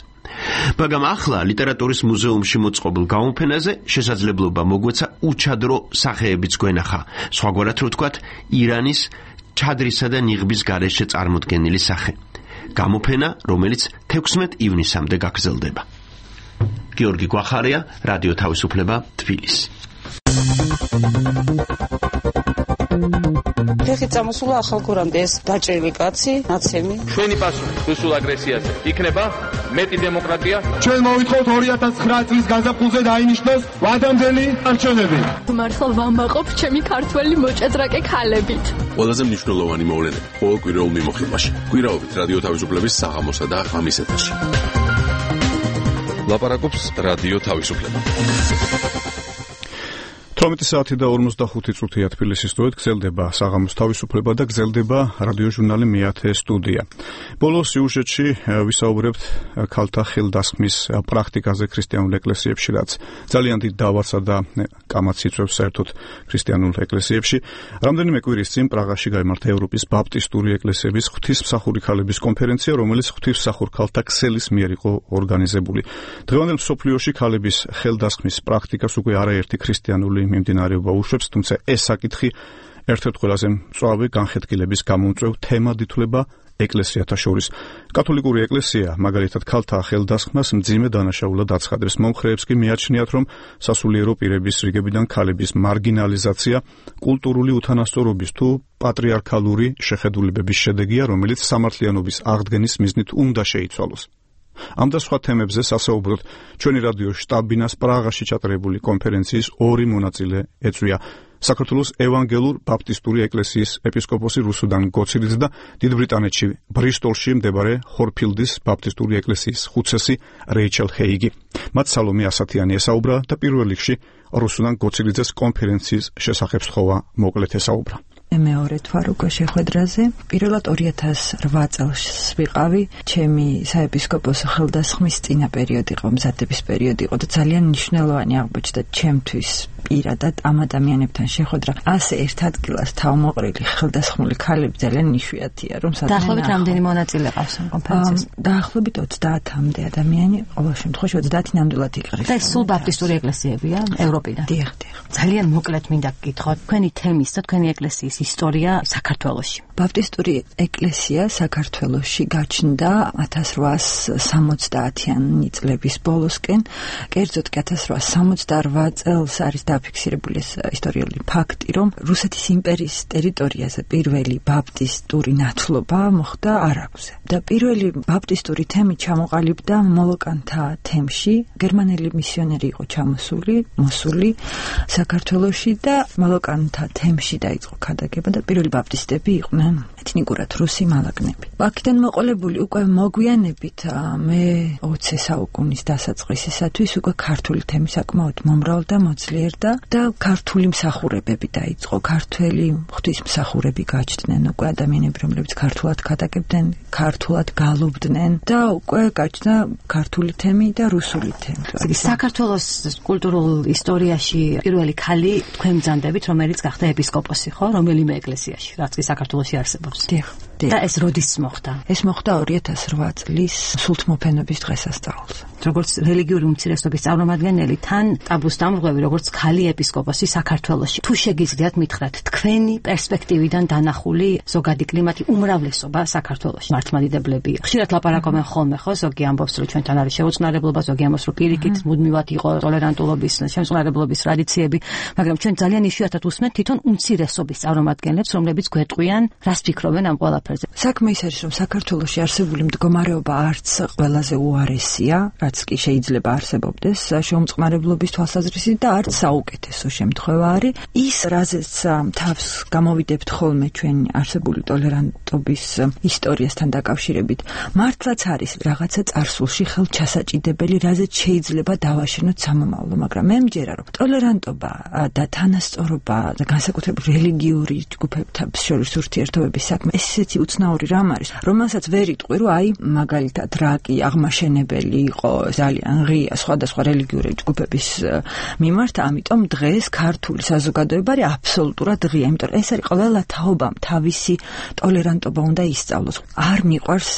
მაგრამ ახლა ლიტერატურის მუზეუმში მოწყობილ გამოფენაზე შესაძლებლობა მოგვეცა უჩადრო სახეებიც გვენახა. სხვაგვარად რო ვთქვათ, ირანის ჩადრისა და ნიღბის გარეშე წარმოდგენილი სახე. გამოფენა, რომელიც თექვსმეტ ივნისამდე გაგრძელდება. გიორგი გვახარია, რადიო თავისუფლება, თბილისი. ფეხი წამოსულა ახალ გურამდე ეს დაჭრილი კაცი, ნაცემი. ჩვენი პასუხი რუსულ აგრესიაზე იქნება მეტი დემოკრატია. ჩვენ მოვითხოვთ ორი ათას ცხრა წლის გაზაფხულზე დაინიშნოს ვადამდელი არჩევნები. მართლა ვამაყობ ჩემი ქართველი მოჭადრაკე ქალებით. ყველაზე მნიშვნელოვანი მოვლენები ყოველ კვირაულ მიმოხილვაში. კვირაობით რადიო თავისუფლების საღამოსა და ღამის ეთერში. ლაპარაკობს რადიო თავისუფლება. თორმეტი საათი და ორმოცდახუთი წუთია თბილისის სტუდიით გრძელდება საღამოს თავისუფლება და გრძელდება რადიო ჟურნალი მეათე სტუდია. ბოლო სიუჟეტში ვისაუბრებთ ქალთა ხელდასხმის პრაქტიკაზე ქრისტიანულ ეკლესიებში, რაც ძალიან დიდ დავარსა და კამათს იწვევს საერთოდ ქრისტიანულ ეკლესიებში. რამდენიმე კვირის წინ პრაღაში გაიმართა ევროპის ბაპტისტური ეკლესიების ღვთისმსახური ქალების კონფერენცია, რომელიც ღვთისმსახურ ქალთა ქსელის მიერ იყო ორგანიზებული. დღევანდელ მსოფლიოში ქალების ხელდასხმის პრაქტიკას უკვე არაერთი ქრისტიანული მიმდინარეობა უშვებს, თუმცა ეს საკითხი ერთ-ერთ ყველაზე მწვავე განხეთქილების გამომწვევ თემად ითვლება ეკლესიათა შორის. კათოლიკური ეკლესია მაგალითად ქალთა ხელდასხმას მძიმე დანაშაულად აცხადებს. მომხრეებს კი მიაჩნიათ, რომ სასულიერო პირების რიგებიდან ქალების მარგინალიზაცია კულტურული უთანასწორობის თუ პატრიარქალური შეხედულებების შედეგია, რომელიც სამართლიანობის აღდგენის მიზნით უნდა შეიცვალოს. ამ და სხვა თემებზე სასაუბროდ ჩვენი რადიო შტაბ-ბინას პრაღაში ჩატარებული კონფერენციის ორი მონაწილე ეწვია. საქართველოს ევანგელურ ბაპტისტური ეკლესიის ეპისკოპოსი რუსუდან გოცილიც და დიდ ბრიტანეთში ბრისტოლში მდებარე ჰორფილდის ბაპტისტური ეკლესიის ხუცესი რეიჩელ ჰეიგი. მათ სალომე ასათიანი ესაუბრა და პირველ რიგში რუსუდან გოცილიძეს კონფერენციის შესახებ სთხოვა მოკლედ ესაუბრა. მეორე თვარ უკვე შეხვედრაზე. პირველად ორი ათას რვა წელს ვიყავი, ჩემი საეპისკოპოსო ხელდასხმის წინა პერიოდი იყო, მზადების პერიოდი იყო და ძალიან მნიშვნელოვანი აღმოჩნდა ჩემთვის პირადად ამ ადამიანებთან შეხვედრა. ასე ერთ ადგილას თავმოყრილი ხელდასხმული ქალები ძალიან იშვიათია, რომ სადღაც დაახლოებით რამდენი მონაწილე ყავს ამ კონფერენციაში? დაახლოებით ოცდაათამდე ადამიანი, ყოველ შემთხვევაში ოცდაათი ნამდვილად იყრის. და სულ ბაპტისტური ეკლესიებია ევროპიდან. დიახ, დიახ. ძალიან მოკლედ მინდა გკითხოთ, თქვენი თემის და თქვენი ეკლესიის ისტორია საქართველოში. ბაპტისტური ეკლესია საქართველოში გაჩნდა ათას რვაასი სამოცდაათიანი წლების ბოლოსკენ, კერძოდ კი ათას რვაასი სამოცდარვა წელს არის დაფიქსირებული ეს ისტორიული ფაქტი, რომ რუსეთის იმპერიის ტერიტორიაზე პირველი ბაპტისტური ნათლობა მოხდა არაგვზე. და პირველი ბაპტისტური თემი ჩამოყალიბდა მოლოკანთა თემში. გერმანელი მისიონერი იყო ჩამოსული, მოსული საქართველოში და მოლოკანთა თემში დაიწყო ქადაგება და პირველი ბაპტისტები იყვნენ ეთნიკურად რუსი მალაგნები. აქედან მოყოლებული უკვე მოგვიანებით მე ოცე საუკუნის დასაწყისისათვის უკვე ქართული თემი საკმაოდ მომრავლდა, მოძლიერდა და ქართული მსახურებები დაიწყო. ქართველი ღვთისმსახურები გაჩნდნენ უკვე ადამიანები, რომლებიც ქართულად ქადაგებდნენ, ქართულად გალობდნენ და უკვე გაჩნდა ქართული თემი და რუსული თემი. საქართველოს კულტურულ ისტორიაში პირველი ქალი თქვენ მძანდებით, რომელიც გახდა ეპისკოპოსი, ხო? რომელიმე ეკლესიაში, რაც კი საქართველოში არსებობს. დიახ. და ეს როდის მოხდა? ეს მოხდა ორი ათას რვა წლის სულთმოფენობის დღესასწაულზე. როგორც რელიგიური უმცირესობის წარმომადგენელი, თან ტაბუს დამრღვევი, როგორც ქალი ეპისკოპოსი საქართველოში. თუ შეგიძლიათ მითხრათ, თქვენი პერსპექტივიდან დანახული ზოგადი კლიმატი, უმრავლესობა საქართველოში. მართლმადიდებლები ხშირად ლაპარაკობენ ხოლმე, ხო, ზოგი ამბობს, რომ ჩვენთან არის შეუწყნარებლობა, ზოგი ამბობს, რომ პირიქით მუდმივად იყო ტოლერანტულობის, შემწყნარებლობის ტრადიციები, მაგრამ ჩვენ ძალიან იშვიათად უსმენთ თვითონ უმცირესობის წარმომადგენლებს, რომლებიც გვეტყვიან, რას ფიქრობენ ამ ყველაფერზე. საქმე ის არის, რომ საქართველოში არსებული მდგომარეობა არც ყველაზე უარესია, რაც კი შეიძლება არსებობდეს შეუმწყნარებლობის თვალსაზრისით და არც საუკეთესო შემთხვევა არის. ის, რაზეც თავს გამოვიდებთ ხოლმე ჩვენი არსებული ტოლერანტობის ისტორიასთან დაკავშირებით, მართლაც არის რაღაცა წარსულში ხელჩასაჭიდებელი, რაზეც შეიძლება დავაშენოთ სამომავლო, მაგრამ მე მჯერა, რომ ტოლერანტობა და თანასწორობა და განსაკუთრებით რელიგიური ჯგუფებთან შორის ურთიერთობების საქმე ესეთი უცნაური რამ არის, რომელსაც ვერ იტყვი, რომ აი მაგალითად რა კი აღმაშენებელი იყო ძალიან ღია სხვადასხვა რელიგიური ჯგუფების მიმართ, ამიტომ დღეს ქართული საზოგადოება არის აბსოლუტურად ღია, იმიტომ რომ ეს არის ყველა თაობამ თავისი ტოლერანტობა უნდა ისწავლოს. არ მიყვარს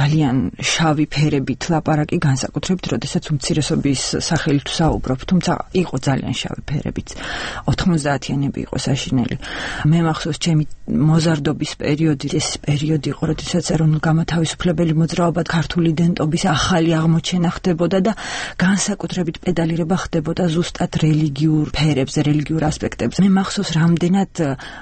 ძალიან შავი ფერებით ლაპარაკი, განსაკუთრებით როდესაც უმცირესობის სახელით ვსაუბრობ, თუმცა იყო ძალიან შავი ფერებით. ოთხმოცდაათიანები იყო საშინელი. მე მახსოვს ჩემი მოზარდობის პერიოდი, ეს პერიოდი იყო, როდესაც ეროვნულ-გამოთავისუფლებელი მოძრაობა ქართული იდენტობის ახალი აღმოჩენა ხდებოდა და განსაკუთრებით პედალირება ხდებოდა ზუსტად რელიგიურ ფერებზე, რელიგიურ ასპექტებზე. მე მახსოვს რამდენად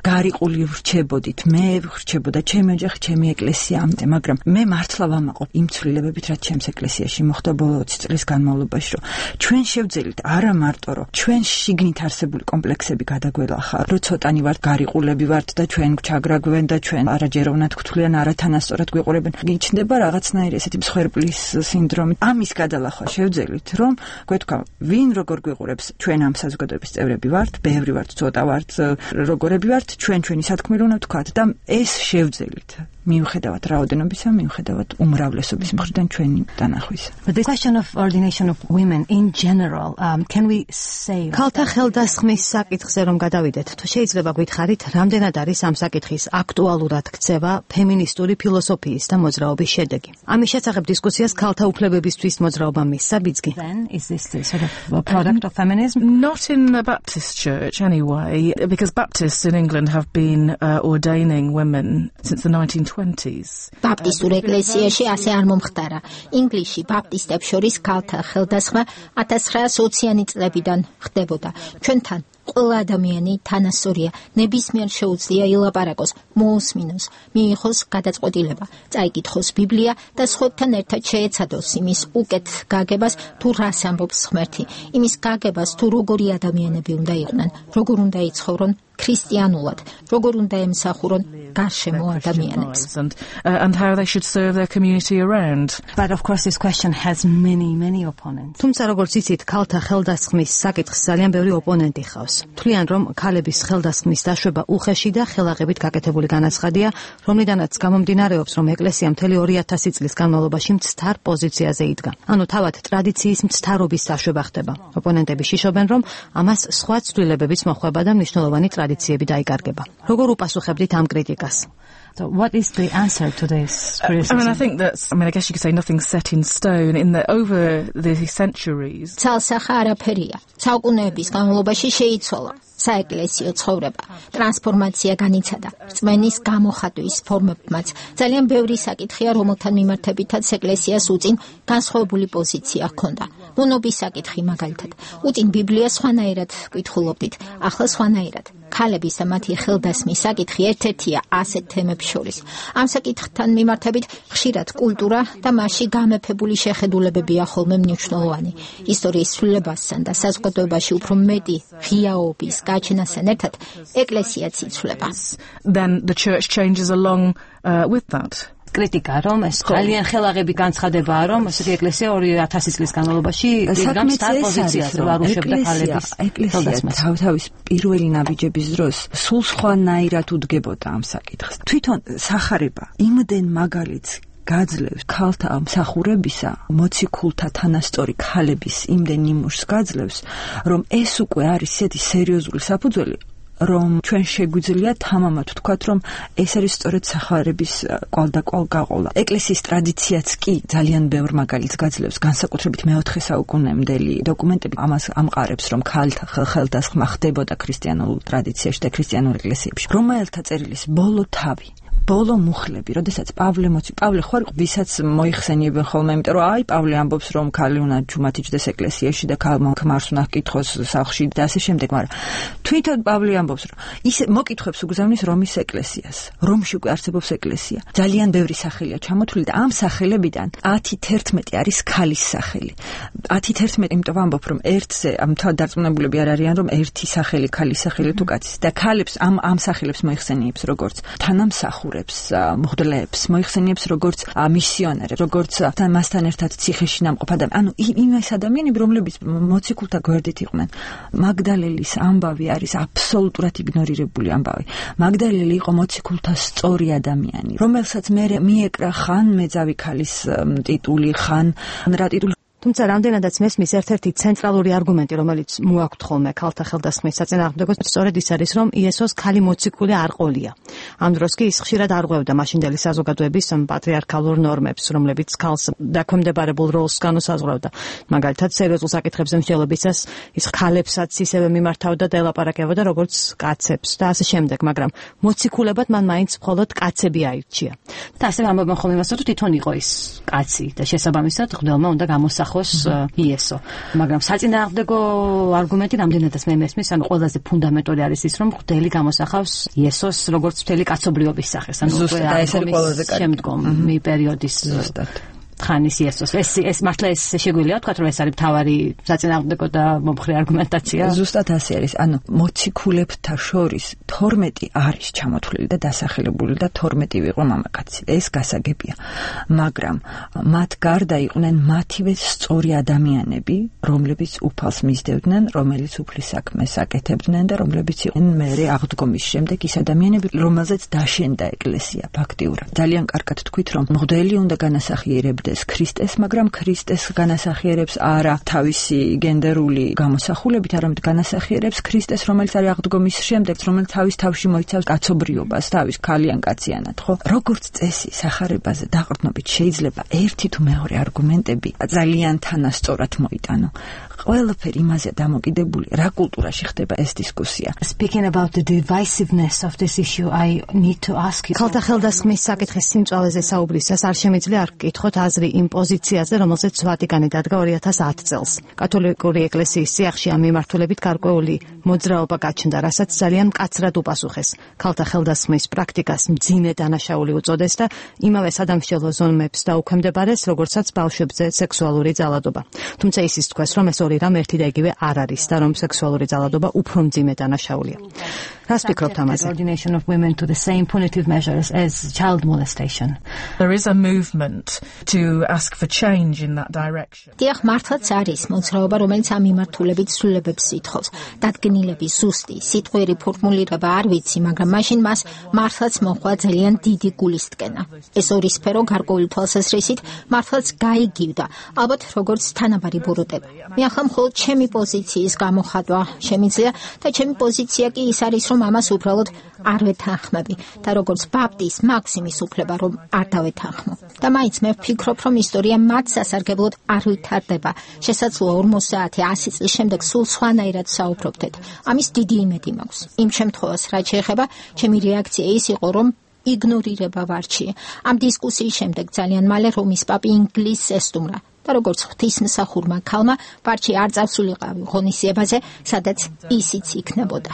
გარიყული ვრჩებოდით, მე ვრჩებოდა ჩემი ოჯახი, ჩემი ეკლესია, მაგრამ მე მართლა ვამაყობ იმ ცვლილებებით, რაც ჩემს ეკლესიაში მოხდა ბოლო ოცი წლის განმავლობაში, რომ ჩვენ შევძელით არა მარტო, რომ ჩვენ შიგნით არსებული კომპლექსები გადაგველახა, რომ ცოტანი ვართ გარიყულები ვართ და ჩვენ გვჩაგრაგვენ და ჩვენ არაჯეროვნა მათ გთვლიან არათანასწორად გვიყურებენ. გიჩნდება რაღაცნაირი ესეთი მსხვერპლის სინდრომი. ამის გადალახვა შევძელით, რომ გვეთქვა, ვინ როგორ გვიყურებს, ჩვენ ამ საზოგადოების წევრები ვართ, ბევრი ვართ, ცოტა ვართ, როგორები ვართ, ჩვენ ჩვენი სათქმელი უნდა ვთქვათ და ეს შევძელით. მიუხედავად რაოდენობისა, მიუხედავად უმრავლესობის მხრიდან ჩვენი დანახვისა. But the question of ordination of women in general, um, can we say ქალთა ხელდასხმის საკითხზე რომ გადავიდეთ, თუ შეიძლება გითხარით, რამდენად არის ამ საკითხის აქტუალურად ქცევა ფემინისტური ფილოსოფიის და მოძრაობის შედეგი. ამის შესახებ დისკუსიას ქალთა უფლებებისთვის მოძრაობა მისცა ბიძგი. Then is this the sort of a product of feminism? Not in the Baptist church anyway, because Baptists in England have been uh, ordaining women since the nineteen twenties. ბაპტისტურ ეკლესიაში ასე არ მომხდარა. ინგლისში ბაპტისტებს შორის ქალთა ხელდასხმა ათას ცხრაასი ოციანი წლებიდან ხდებოდა. ჩვენთან ყველა ადამიანი თანასწორია, ნებისმიერ შეუძლია ილაპარაკოს, მოусმინოს, მიიღოს გადაწყვეტილება, წაიკითხოს ბიბლია და სხვებთან ერთად შეეცადოს იმის უკეთ გაგებას, თუ რას ამბობს ღმერთი, იმის გაგებას, თუ როგორი ადამიანები უნდა იყვნენ, როგორ უნდა იცხოვრონ ქრისტიანულად, როგორ უნდა ემსახურონ გარშემო ადამიანებს. And, uh, and how they should serve their community around. But of course this question has many many opponents. თუმცა როგორც იცით, ქალთა ხელდასხმის საკითხს ძალიან ბევრი ოპონენტი ხავს. თვლიან, რომ ქალების ხელდასხმის დაშვება უხეში და ხელაღებით გაკეთებული განაცხადია, რომლიდანაც გამომდინარეობს, რომ ეკლესია მთელი ორი ათასი წლის განმავლობაში მცდარ პოზიციაზე იდგა. ანუ თავად ტრადიციის მცდარობის დაშვება ხდება. ოპონენტები შიშობენ, რომ ამას სხვა ცვლილებებიც მოხვება და მნიშვნელოვანი ტრადიციები დაიკარგება. როგორ უპასუხებდით ამ კრიტიკას? So what is the answer to this criticism? I mean, I think that's, I mean, I guess you could say nothing's set in stone in that over the centuries. ცალსახა არაფერია. საუკუნეების განმავლობაში შეიცვალა საეკლესიო ცხოვრება. ტრანსფორმაცია განიცადა. რწმენის გამოხატვის ფორმებმაც ძალიან ბევრი საკითხია, რომელთან მიმართებითაც ეკლესიას უწინ განსხვავებული პოზიცია ჰქონდა. მონობის საკითხი მაგალითად. უწინ ბიბლიას სხვანაირად კითხულობდით, ახლა სხვანაირად. ქალების და მათი ხელდასმის საკითხი ერთ-ერთია ასეთ თემებს შორის. ამ საკითხთან მიმართებით ხშირად კულტურა და მასში გამეფებული შეხედულებებია ხოლმე მნიშვნელოვანი. ისტორიის ცვლილებასთან და საზოგადოებაში უფრო მეტი ღიაობის გაჩენასთან ერთად ეკლესიაც იცვლება. Then the church changes along uh, with that. კრიტიკა რომ ეს ძალიან ხელაღები განცხადებაა, რომ ესეთი ეკლესია ორი ათასი წლის განმავლობაში დიდგამს და პოზიციაზე ვარუშებდა ქალების ეკლესია თავთავის პირველი ნაბიჯების დროს სულ სხვანაირად უდგებოდა ამ საკითხს. თვითონ სახარება იმდენ მაგალითს გაძლევს ქალთა მსახურებისა, მოციქულთა თანასწორი ქალების იმდენ ნიმუშს გაძლევს, რომ ეს უკვე არის ისეთი სერიოზული საფუძველი, რომ ჩვენ შეგვიძლია თამამად ვთქვათ, რომ ეს არის სწორედ სახარების კვალდაკვალ გაყოლა. ეკლესიის ტრადიციაც კი ძალიან ბევრ მაგალითს გაძლევს, განსაკუთრებით მეოთხე საუკუნემდელი დოკუმენტები ამას ამყარებს, რომ ქალთა ხელდასხმა ხდებოდა ქრისტიანულ ტრადიციაში და ქრისტიანულ ეკლესიებში. რომელთა წერილის ბოლო თავი ბოლო მუხლები, როდესაც პავლე მოცი, პავლე ხო არის, ვისაც მოიხსენიებენ ხოლმე, იმიტომ რომ აი პავლე ამბობს, რომ ქალი უნდა ჯუმად იჯდეს ეკლესიაში და ქალმა ქმარს უნდა ჰკითხოს სახლში და ასე შემდეგ, მაგრამ თვითონ პავლე ამბობს, რომ ის მოკითხებს უგზავნის რომის ეკლესიას, რომში უკვე არსებობს ეკლესია. ძალიან ბევრი სახელია ჩამოთვლილი და ამ სახელებიდან ათი თერთმეტი არის ქალის სახელი. ათი თერთმეტი, იმიტომ ვამბობ, რომ ერთზე ამ თავ დარწმუნებულები არ არიან, რომ ერთი სახელი ქალის სახელი თუ კაცის და ქალებს ამ ამ სახელებს მოიხსენიებს როგორც თანამსახურე მღვდლებს, მოიხსენიებს როგორც მისიონერებს, როგორც მასთან ერთად ციხეში ნამყოფ ადამიანებს. ანუ იმის ადამიანები, რომლებიც მოციქულთა გვერდით იყვნენ. მაგდალელის ამბავი არის აბსოლუტურად იგნორირებული ამბავი. მაგდალელი იყო მოციქულთა სწორი ადამიანი, რომელსაც მე მიეკრა ხან მეძავი ქალის ტიტული, ხან რა ტიტული. თუმცა რამდენადაც მესმის ერთ-ერთი ცენტრალური არგუმენტი, რომელიც მოაქვთ ხოლმე ქალთა ხელდასხმის საწინააღმდეგოს, სწორედ ის არის, რომ იესოს ქალი მოციქული არ ყოლია. ამ დროს კი ის ხშირად არღვევდა მაშინდელი საზოგადოების პატრიარქალურ ნორმებს, რომლებიც ქალს დაქვემდებარებულ როლს განუსაზღვრავდა. მაგალითად, სერიოზულ საკითხებზე მსჯელობისას ის ქალებსაც ისევე მიმართავდა და ელაპარაკებოდა როგორც კაცებს და ასე შემდეგ, მაგრამ მოციქულებად მან მაინც მხოლოდ კაცები აირჩია. და ასე ამბობენ ხოლმე იმას, რომ თვითონ იყო ის კაცი და შესაბამისად ღმერთმა უნდა გამოსახოს იესო. მაგრამ საწინააღმდეგო არგუმენტი რამდენადაც მე მესმის, ანუ ყველაზე ფუნდამენტური არის ის, რომ ღმერთი გამოსახავს იესოს როგორც მთელი კაცობრიობის სახეს, ანუ უკვე ამ შემდგომი პერიოდის ზუსტად. თხანის იესოს. ეს ეს მართლა ეს შეგვიძლია ვთქვათ, რომ ეს არის მთავარი საწინააღმდეგო და მომხრე არგუმენტაცია. ზუსტად ასე არის. ანუ მოციქულებთა შორის თორმეტი არის ჩამოთვლილი და დასახელებული და თორმეტი ვიყო მამაკაცი. ეს გასაგებია. მაგრამ მათ გარდა იყვნენ მათივე სწორი ადამიანები, რომლებიც უფალს მისდევდნენ, რომელიც უფლის საქმეს აკეთებდნენ და რომლებიც იყვნენ მერე აღდგომის შემდეგ ის ადამიანები, რომელზეც დაშენდა ეკლესია ფაქტიურად. ძალიან კარგად თქვით, რომ მღვდელი უნდა განასახიერებდეს ქრისტეს, მაგრამ ქრისტეს განასახიერებს არა თავისი გენდერული გამოსახულებით, არამედ განასახიერებს ქრისტეს, რომელიც არის აღდგომის შემდეგ, რომელიც თავის თავში მოიცავს კაცობრიობას, თავის ქალიან კაციანად, ხო? როგორც წესი სახარებაზე დაყრდნობით შეიძლება ერთი თუ მეორე არგუმენტები ძალიან თანასწორად მოიტანო. ყველაფერი იმაზე დამოკიდებული, რა კულტურაში ხდება ეს დისკუსია. Speaking about the divisiveness of this issue, I need to ask you. ქალთა ხელდასხმის საკითხის სიმწვალეზე საუბრისას არ შემიძლია არ გკითხოთ აზრი იმ პოზიციაზე, რომელზეც ვატიკანი დადგა ორი ათას ათი წელს. კათოლიკური ეკლესიის სიახში ამ მიმართულებით გარკვეული მოძრაობა გაჩნდა, რასაც ძალიან მკაცრად უპასუხეს. ქალთა ხელდასხმის პრაქტიკას მძიმე დანაშაული უწოდეს და იმავე სადამსჯელო ზომებს დაუქვემდებარეს, როგორცაც ბავშვებზე სექსუალური ძალადობა. თუმცა ისიც თქვეს, რომ ეს ორი რამ ერთი და იგივე არ არის და რომ სექსუალური ძალადობა უფრო მძიმე დანაშაულია. რას ფიქრობთ ამაზე? Coordination of women to the same punitive measures as child molestation. There is a movement to ask for change in that direction. დიახ, მართლაც არის მოძრაობა, რომელიც ამ მიმართულებით ცვლილებებს ითხოვს. დადგენილების ზუსტი სიტყვიერი ფორმულირება არ ვიცი, მაგრამ მაშინ მას მართლაც მოხდა ძალიან დიდი გულისტკენა. ეს ორი სფერო გარკვეული თვალსაზრისით მართლაც გაიგივდა, ალბათ როგორც თანაბარი ბურუტება. მე ახლა მხოლოდ ჩემი პოზიციის გამოხატვა შემიძლია და ჩემი პოზიცია კი ის არის, რომ ამას უბრალოდ არ ვეთანხმები და როგორც ბაპტის მაქსიმის უფლება რომ არ დავეთანხმო. და მაინც მე ვფიქრობ, რომ ისტორია მათ სასარგებლოდ არ ვითარდება. შესაძლოა ორმოცდაათი ასი წლის შემდეგ სულ სხვანაირად საუბრობდეთ. ამის დიდი იმედი მაქვს. იმ შემთხვევას, რაც შეეხება, ჩემი რეაქცია ის იყო, რომ იგნორირება ვარჩიე. ამ დისკუსიის შემდეგ ძალიან მალე რომის პაპი ინგლისს ესტუმრა. და როგორც ღვთისმსახურმა ქალმა ვარჩი არ წავსულიყავი ღონისძიებაზე, სადაც ისიც იქნებოდა.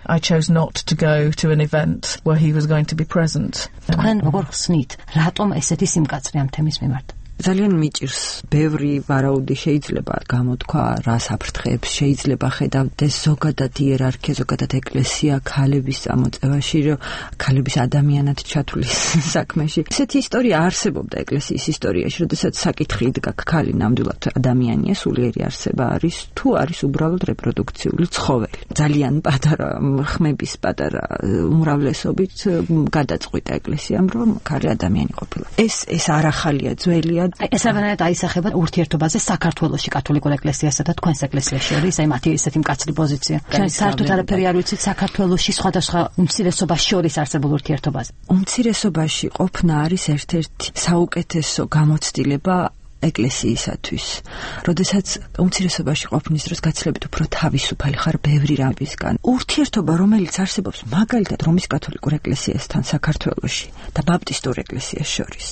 I chose not to go to an event where he was going to be present. თქვენ როგორ ხსნით, რატომ ესეთი სიმკაცრე ამ თემის მიმართ? ძალიან მიჭირს ბევრი ვარაუდი შეიძლება გამოთქვა, რას აფრთხებს, შეიძლება ხედავდეს ზოგადად იერარქია, ზოგადად ეკლესია ქალების წამოწევაში, რომ ქალების ადამიანად ჩათვლის საქმეში. ესეთი ისტორია არსებობდა ეკლესიის ისტორიაში, როდესაც საკითხი იდგა, ქალი ნამდვილად ადამიანია, სულიერი არსება არის, თუ არის უბრალოდ რეპროდუქციული ცხოველი. ძალიან პატარა ხმების პატარა უმრავლესობით გადაწყვიტა ეკლესიამ, რომ ქალი ადამიანი ყოფილა. ეს ეს არ ახალია, ძველია. ეს ავანად აისახება ურთიერთობაზე საქართველოში კათოლიკურ ეკლესიასა და თქვენს ეკლესიას შორის, აი მათი ესეთი მკაცრი პოზიცია. ჩვენ საერთოდ არაფერი არ ვიცით საქართველოში სხვადასხვა უმცირესობას შორის არსებულ ურთიერთობაზე. უმცირესობაში ყოფნა არის ერთ-ერთი საუკეთესო გამოცდილება ეკლესიისათვის. როდესაც უმცირესობაში ყოფნის დროს გაცილებით უფრო თავისუფალი ხარ ბევრი რამისგან. ურთიერთობა, რომელიც არსებობს მაგალითად რომის კათოლიკურ ეკლესიასთან საქართველოში და ბაპტისტურ ეკლესიას შორის,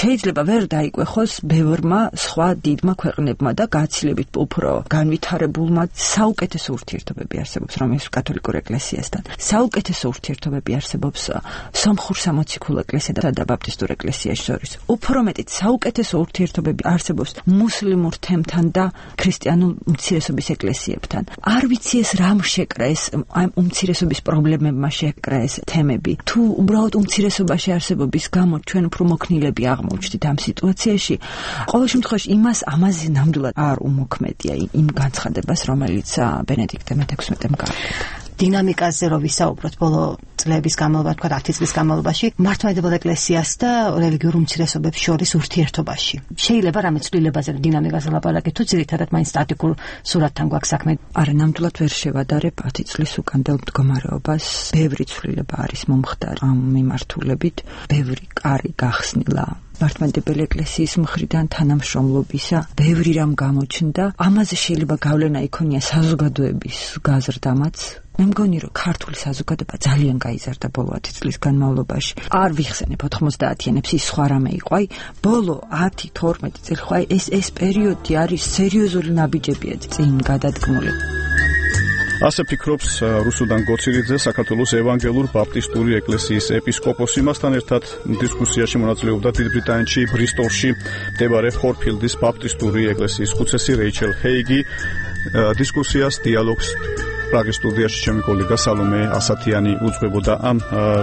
შეიძლება ვერ დაიკვეხოს ბევრმა სხვა დიდმა ქვეყნებმა და გაცილებით უფრო განვითარებულმა. საუკეთესო ურთიერთობები არსებობს რომის კათოლიკურ ეკლესიასთან. საუკეთესო ურთიერთობები არსებობს სომხურ სამოციქულო ეკლესიასა და ბაპტისტურ ეკლესიას შორის. უფრო მეტიც საუკეთესო ურთიერთობები არსებობს მუსლიმურ თემთან და ქრისტიანულ უმცირესობის ეკლესიებთან. არ ვიცი ეს რამ შეკრა ეს ამ უმცირესობის პრობლემებმა შეკრა ეს თემები. თუ უბრალოდ უმცირესობაში არსებობის გამო ჩვენ უფრო მოქნილები აღმოჩნდით ამ სიტუაციაში, ყოველ შემთხვევაში იმას ამაზე ნამდვილად არ უმოქმედია იმ განცხადებას, რომელიც ბენედიქტე მეთექვსმეტემ გააკეთა. დინამიკაზე რო ვისაუბროთ ბოლო წლების განმავლობაში, თქვა ათი წლის განმავლობაში, მართლმადიდებელ ეკლესიას და რელიგიურ უმცირესობებს შორის ურთიერთობაში. შეიძლება რამე ცვლილებაზე დინამიკაზე ლაპარაკეთ, თუ ძირითადად მაინც სტატიკურ სურათთან გვაქვს საქმე. არა, ნამდვილად ვერ შევადარებ ათი წლის უკანდელ მდგომარეობას. ბევრი ცვლილება არის მომხდარი ამ მიმართულებით, ბევრი კარი გახსნილა მართლმადიდებელი ეკლესიის მხრიდან თანამშრომლობისა, ბევრი რამ გამოჩნდა. ამაზე შეიძლება გავლენა იქონია საზოგადოების გაზრდამაც. მე მგონი, რომ ქართული საზოგადოება ძალიან გაიზარდა ბოლო ათი წლის განმავლობაში. არ ვიხსენებ ოთხმოცდაათიანებს, ის სხვა რამე იყო. აი, ბოლო ათი თორმეტი წელი ხო, ეს ეს პერიოდი არის სერიოზული ნაბიჯებია წინ გადადგმული. ასე ფიქრობს რუსუდან გოცირიძე, საქართველოს ევანგელურ ბაპტისტური ეკლესიის ეპისკოპოსი. მასთან ერთად დისკუსიაში მონაწილეობდა დიდ ბრიტანეთში ბრისტოლში მდებარე ჰორფილდის ბაპტისტური ეკლესიის ხუცესი რეიჩელ ჰეიგი. დისკუსიას დიალოგს პრაღის სტუდიაში ჩემი კოლეგა სალომე ასათიანი უძღვებოდა. ამ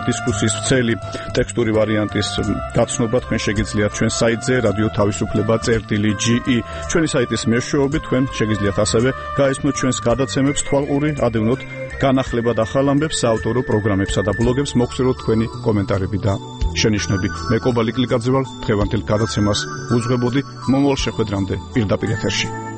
დისკუსიის ვრცელი ტექსტური ვარიანტის გაცნობა თქვენ შეგიძლიათ ჩვენ საიტზე რადიო თავისუფლება წერტილი ჯი ი. ჩვენი საიტის მეშვეობით თქვენ შეგიძლიათ ასევე გაესმოთ ჩვენს გადაცემებს, თვალყური ადევნოთ განახლება და ხალამბებს, საავტორო პროგრამებსა და ბლოგებს, მოგხსენოთ თქვენი კომენტარები და შენიშვნები. მე კობალი კლიკაძე ვარ, დღევანდელ გადაცემას უძღვებოდი. მომავალ შეხვედრამდე პირდაპირ ეთერში.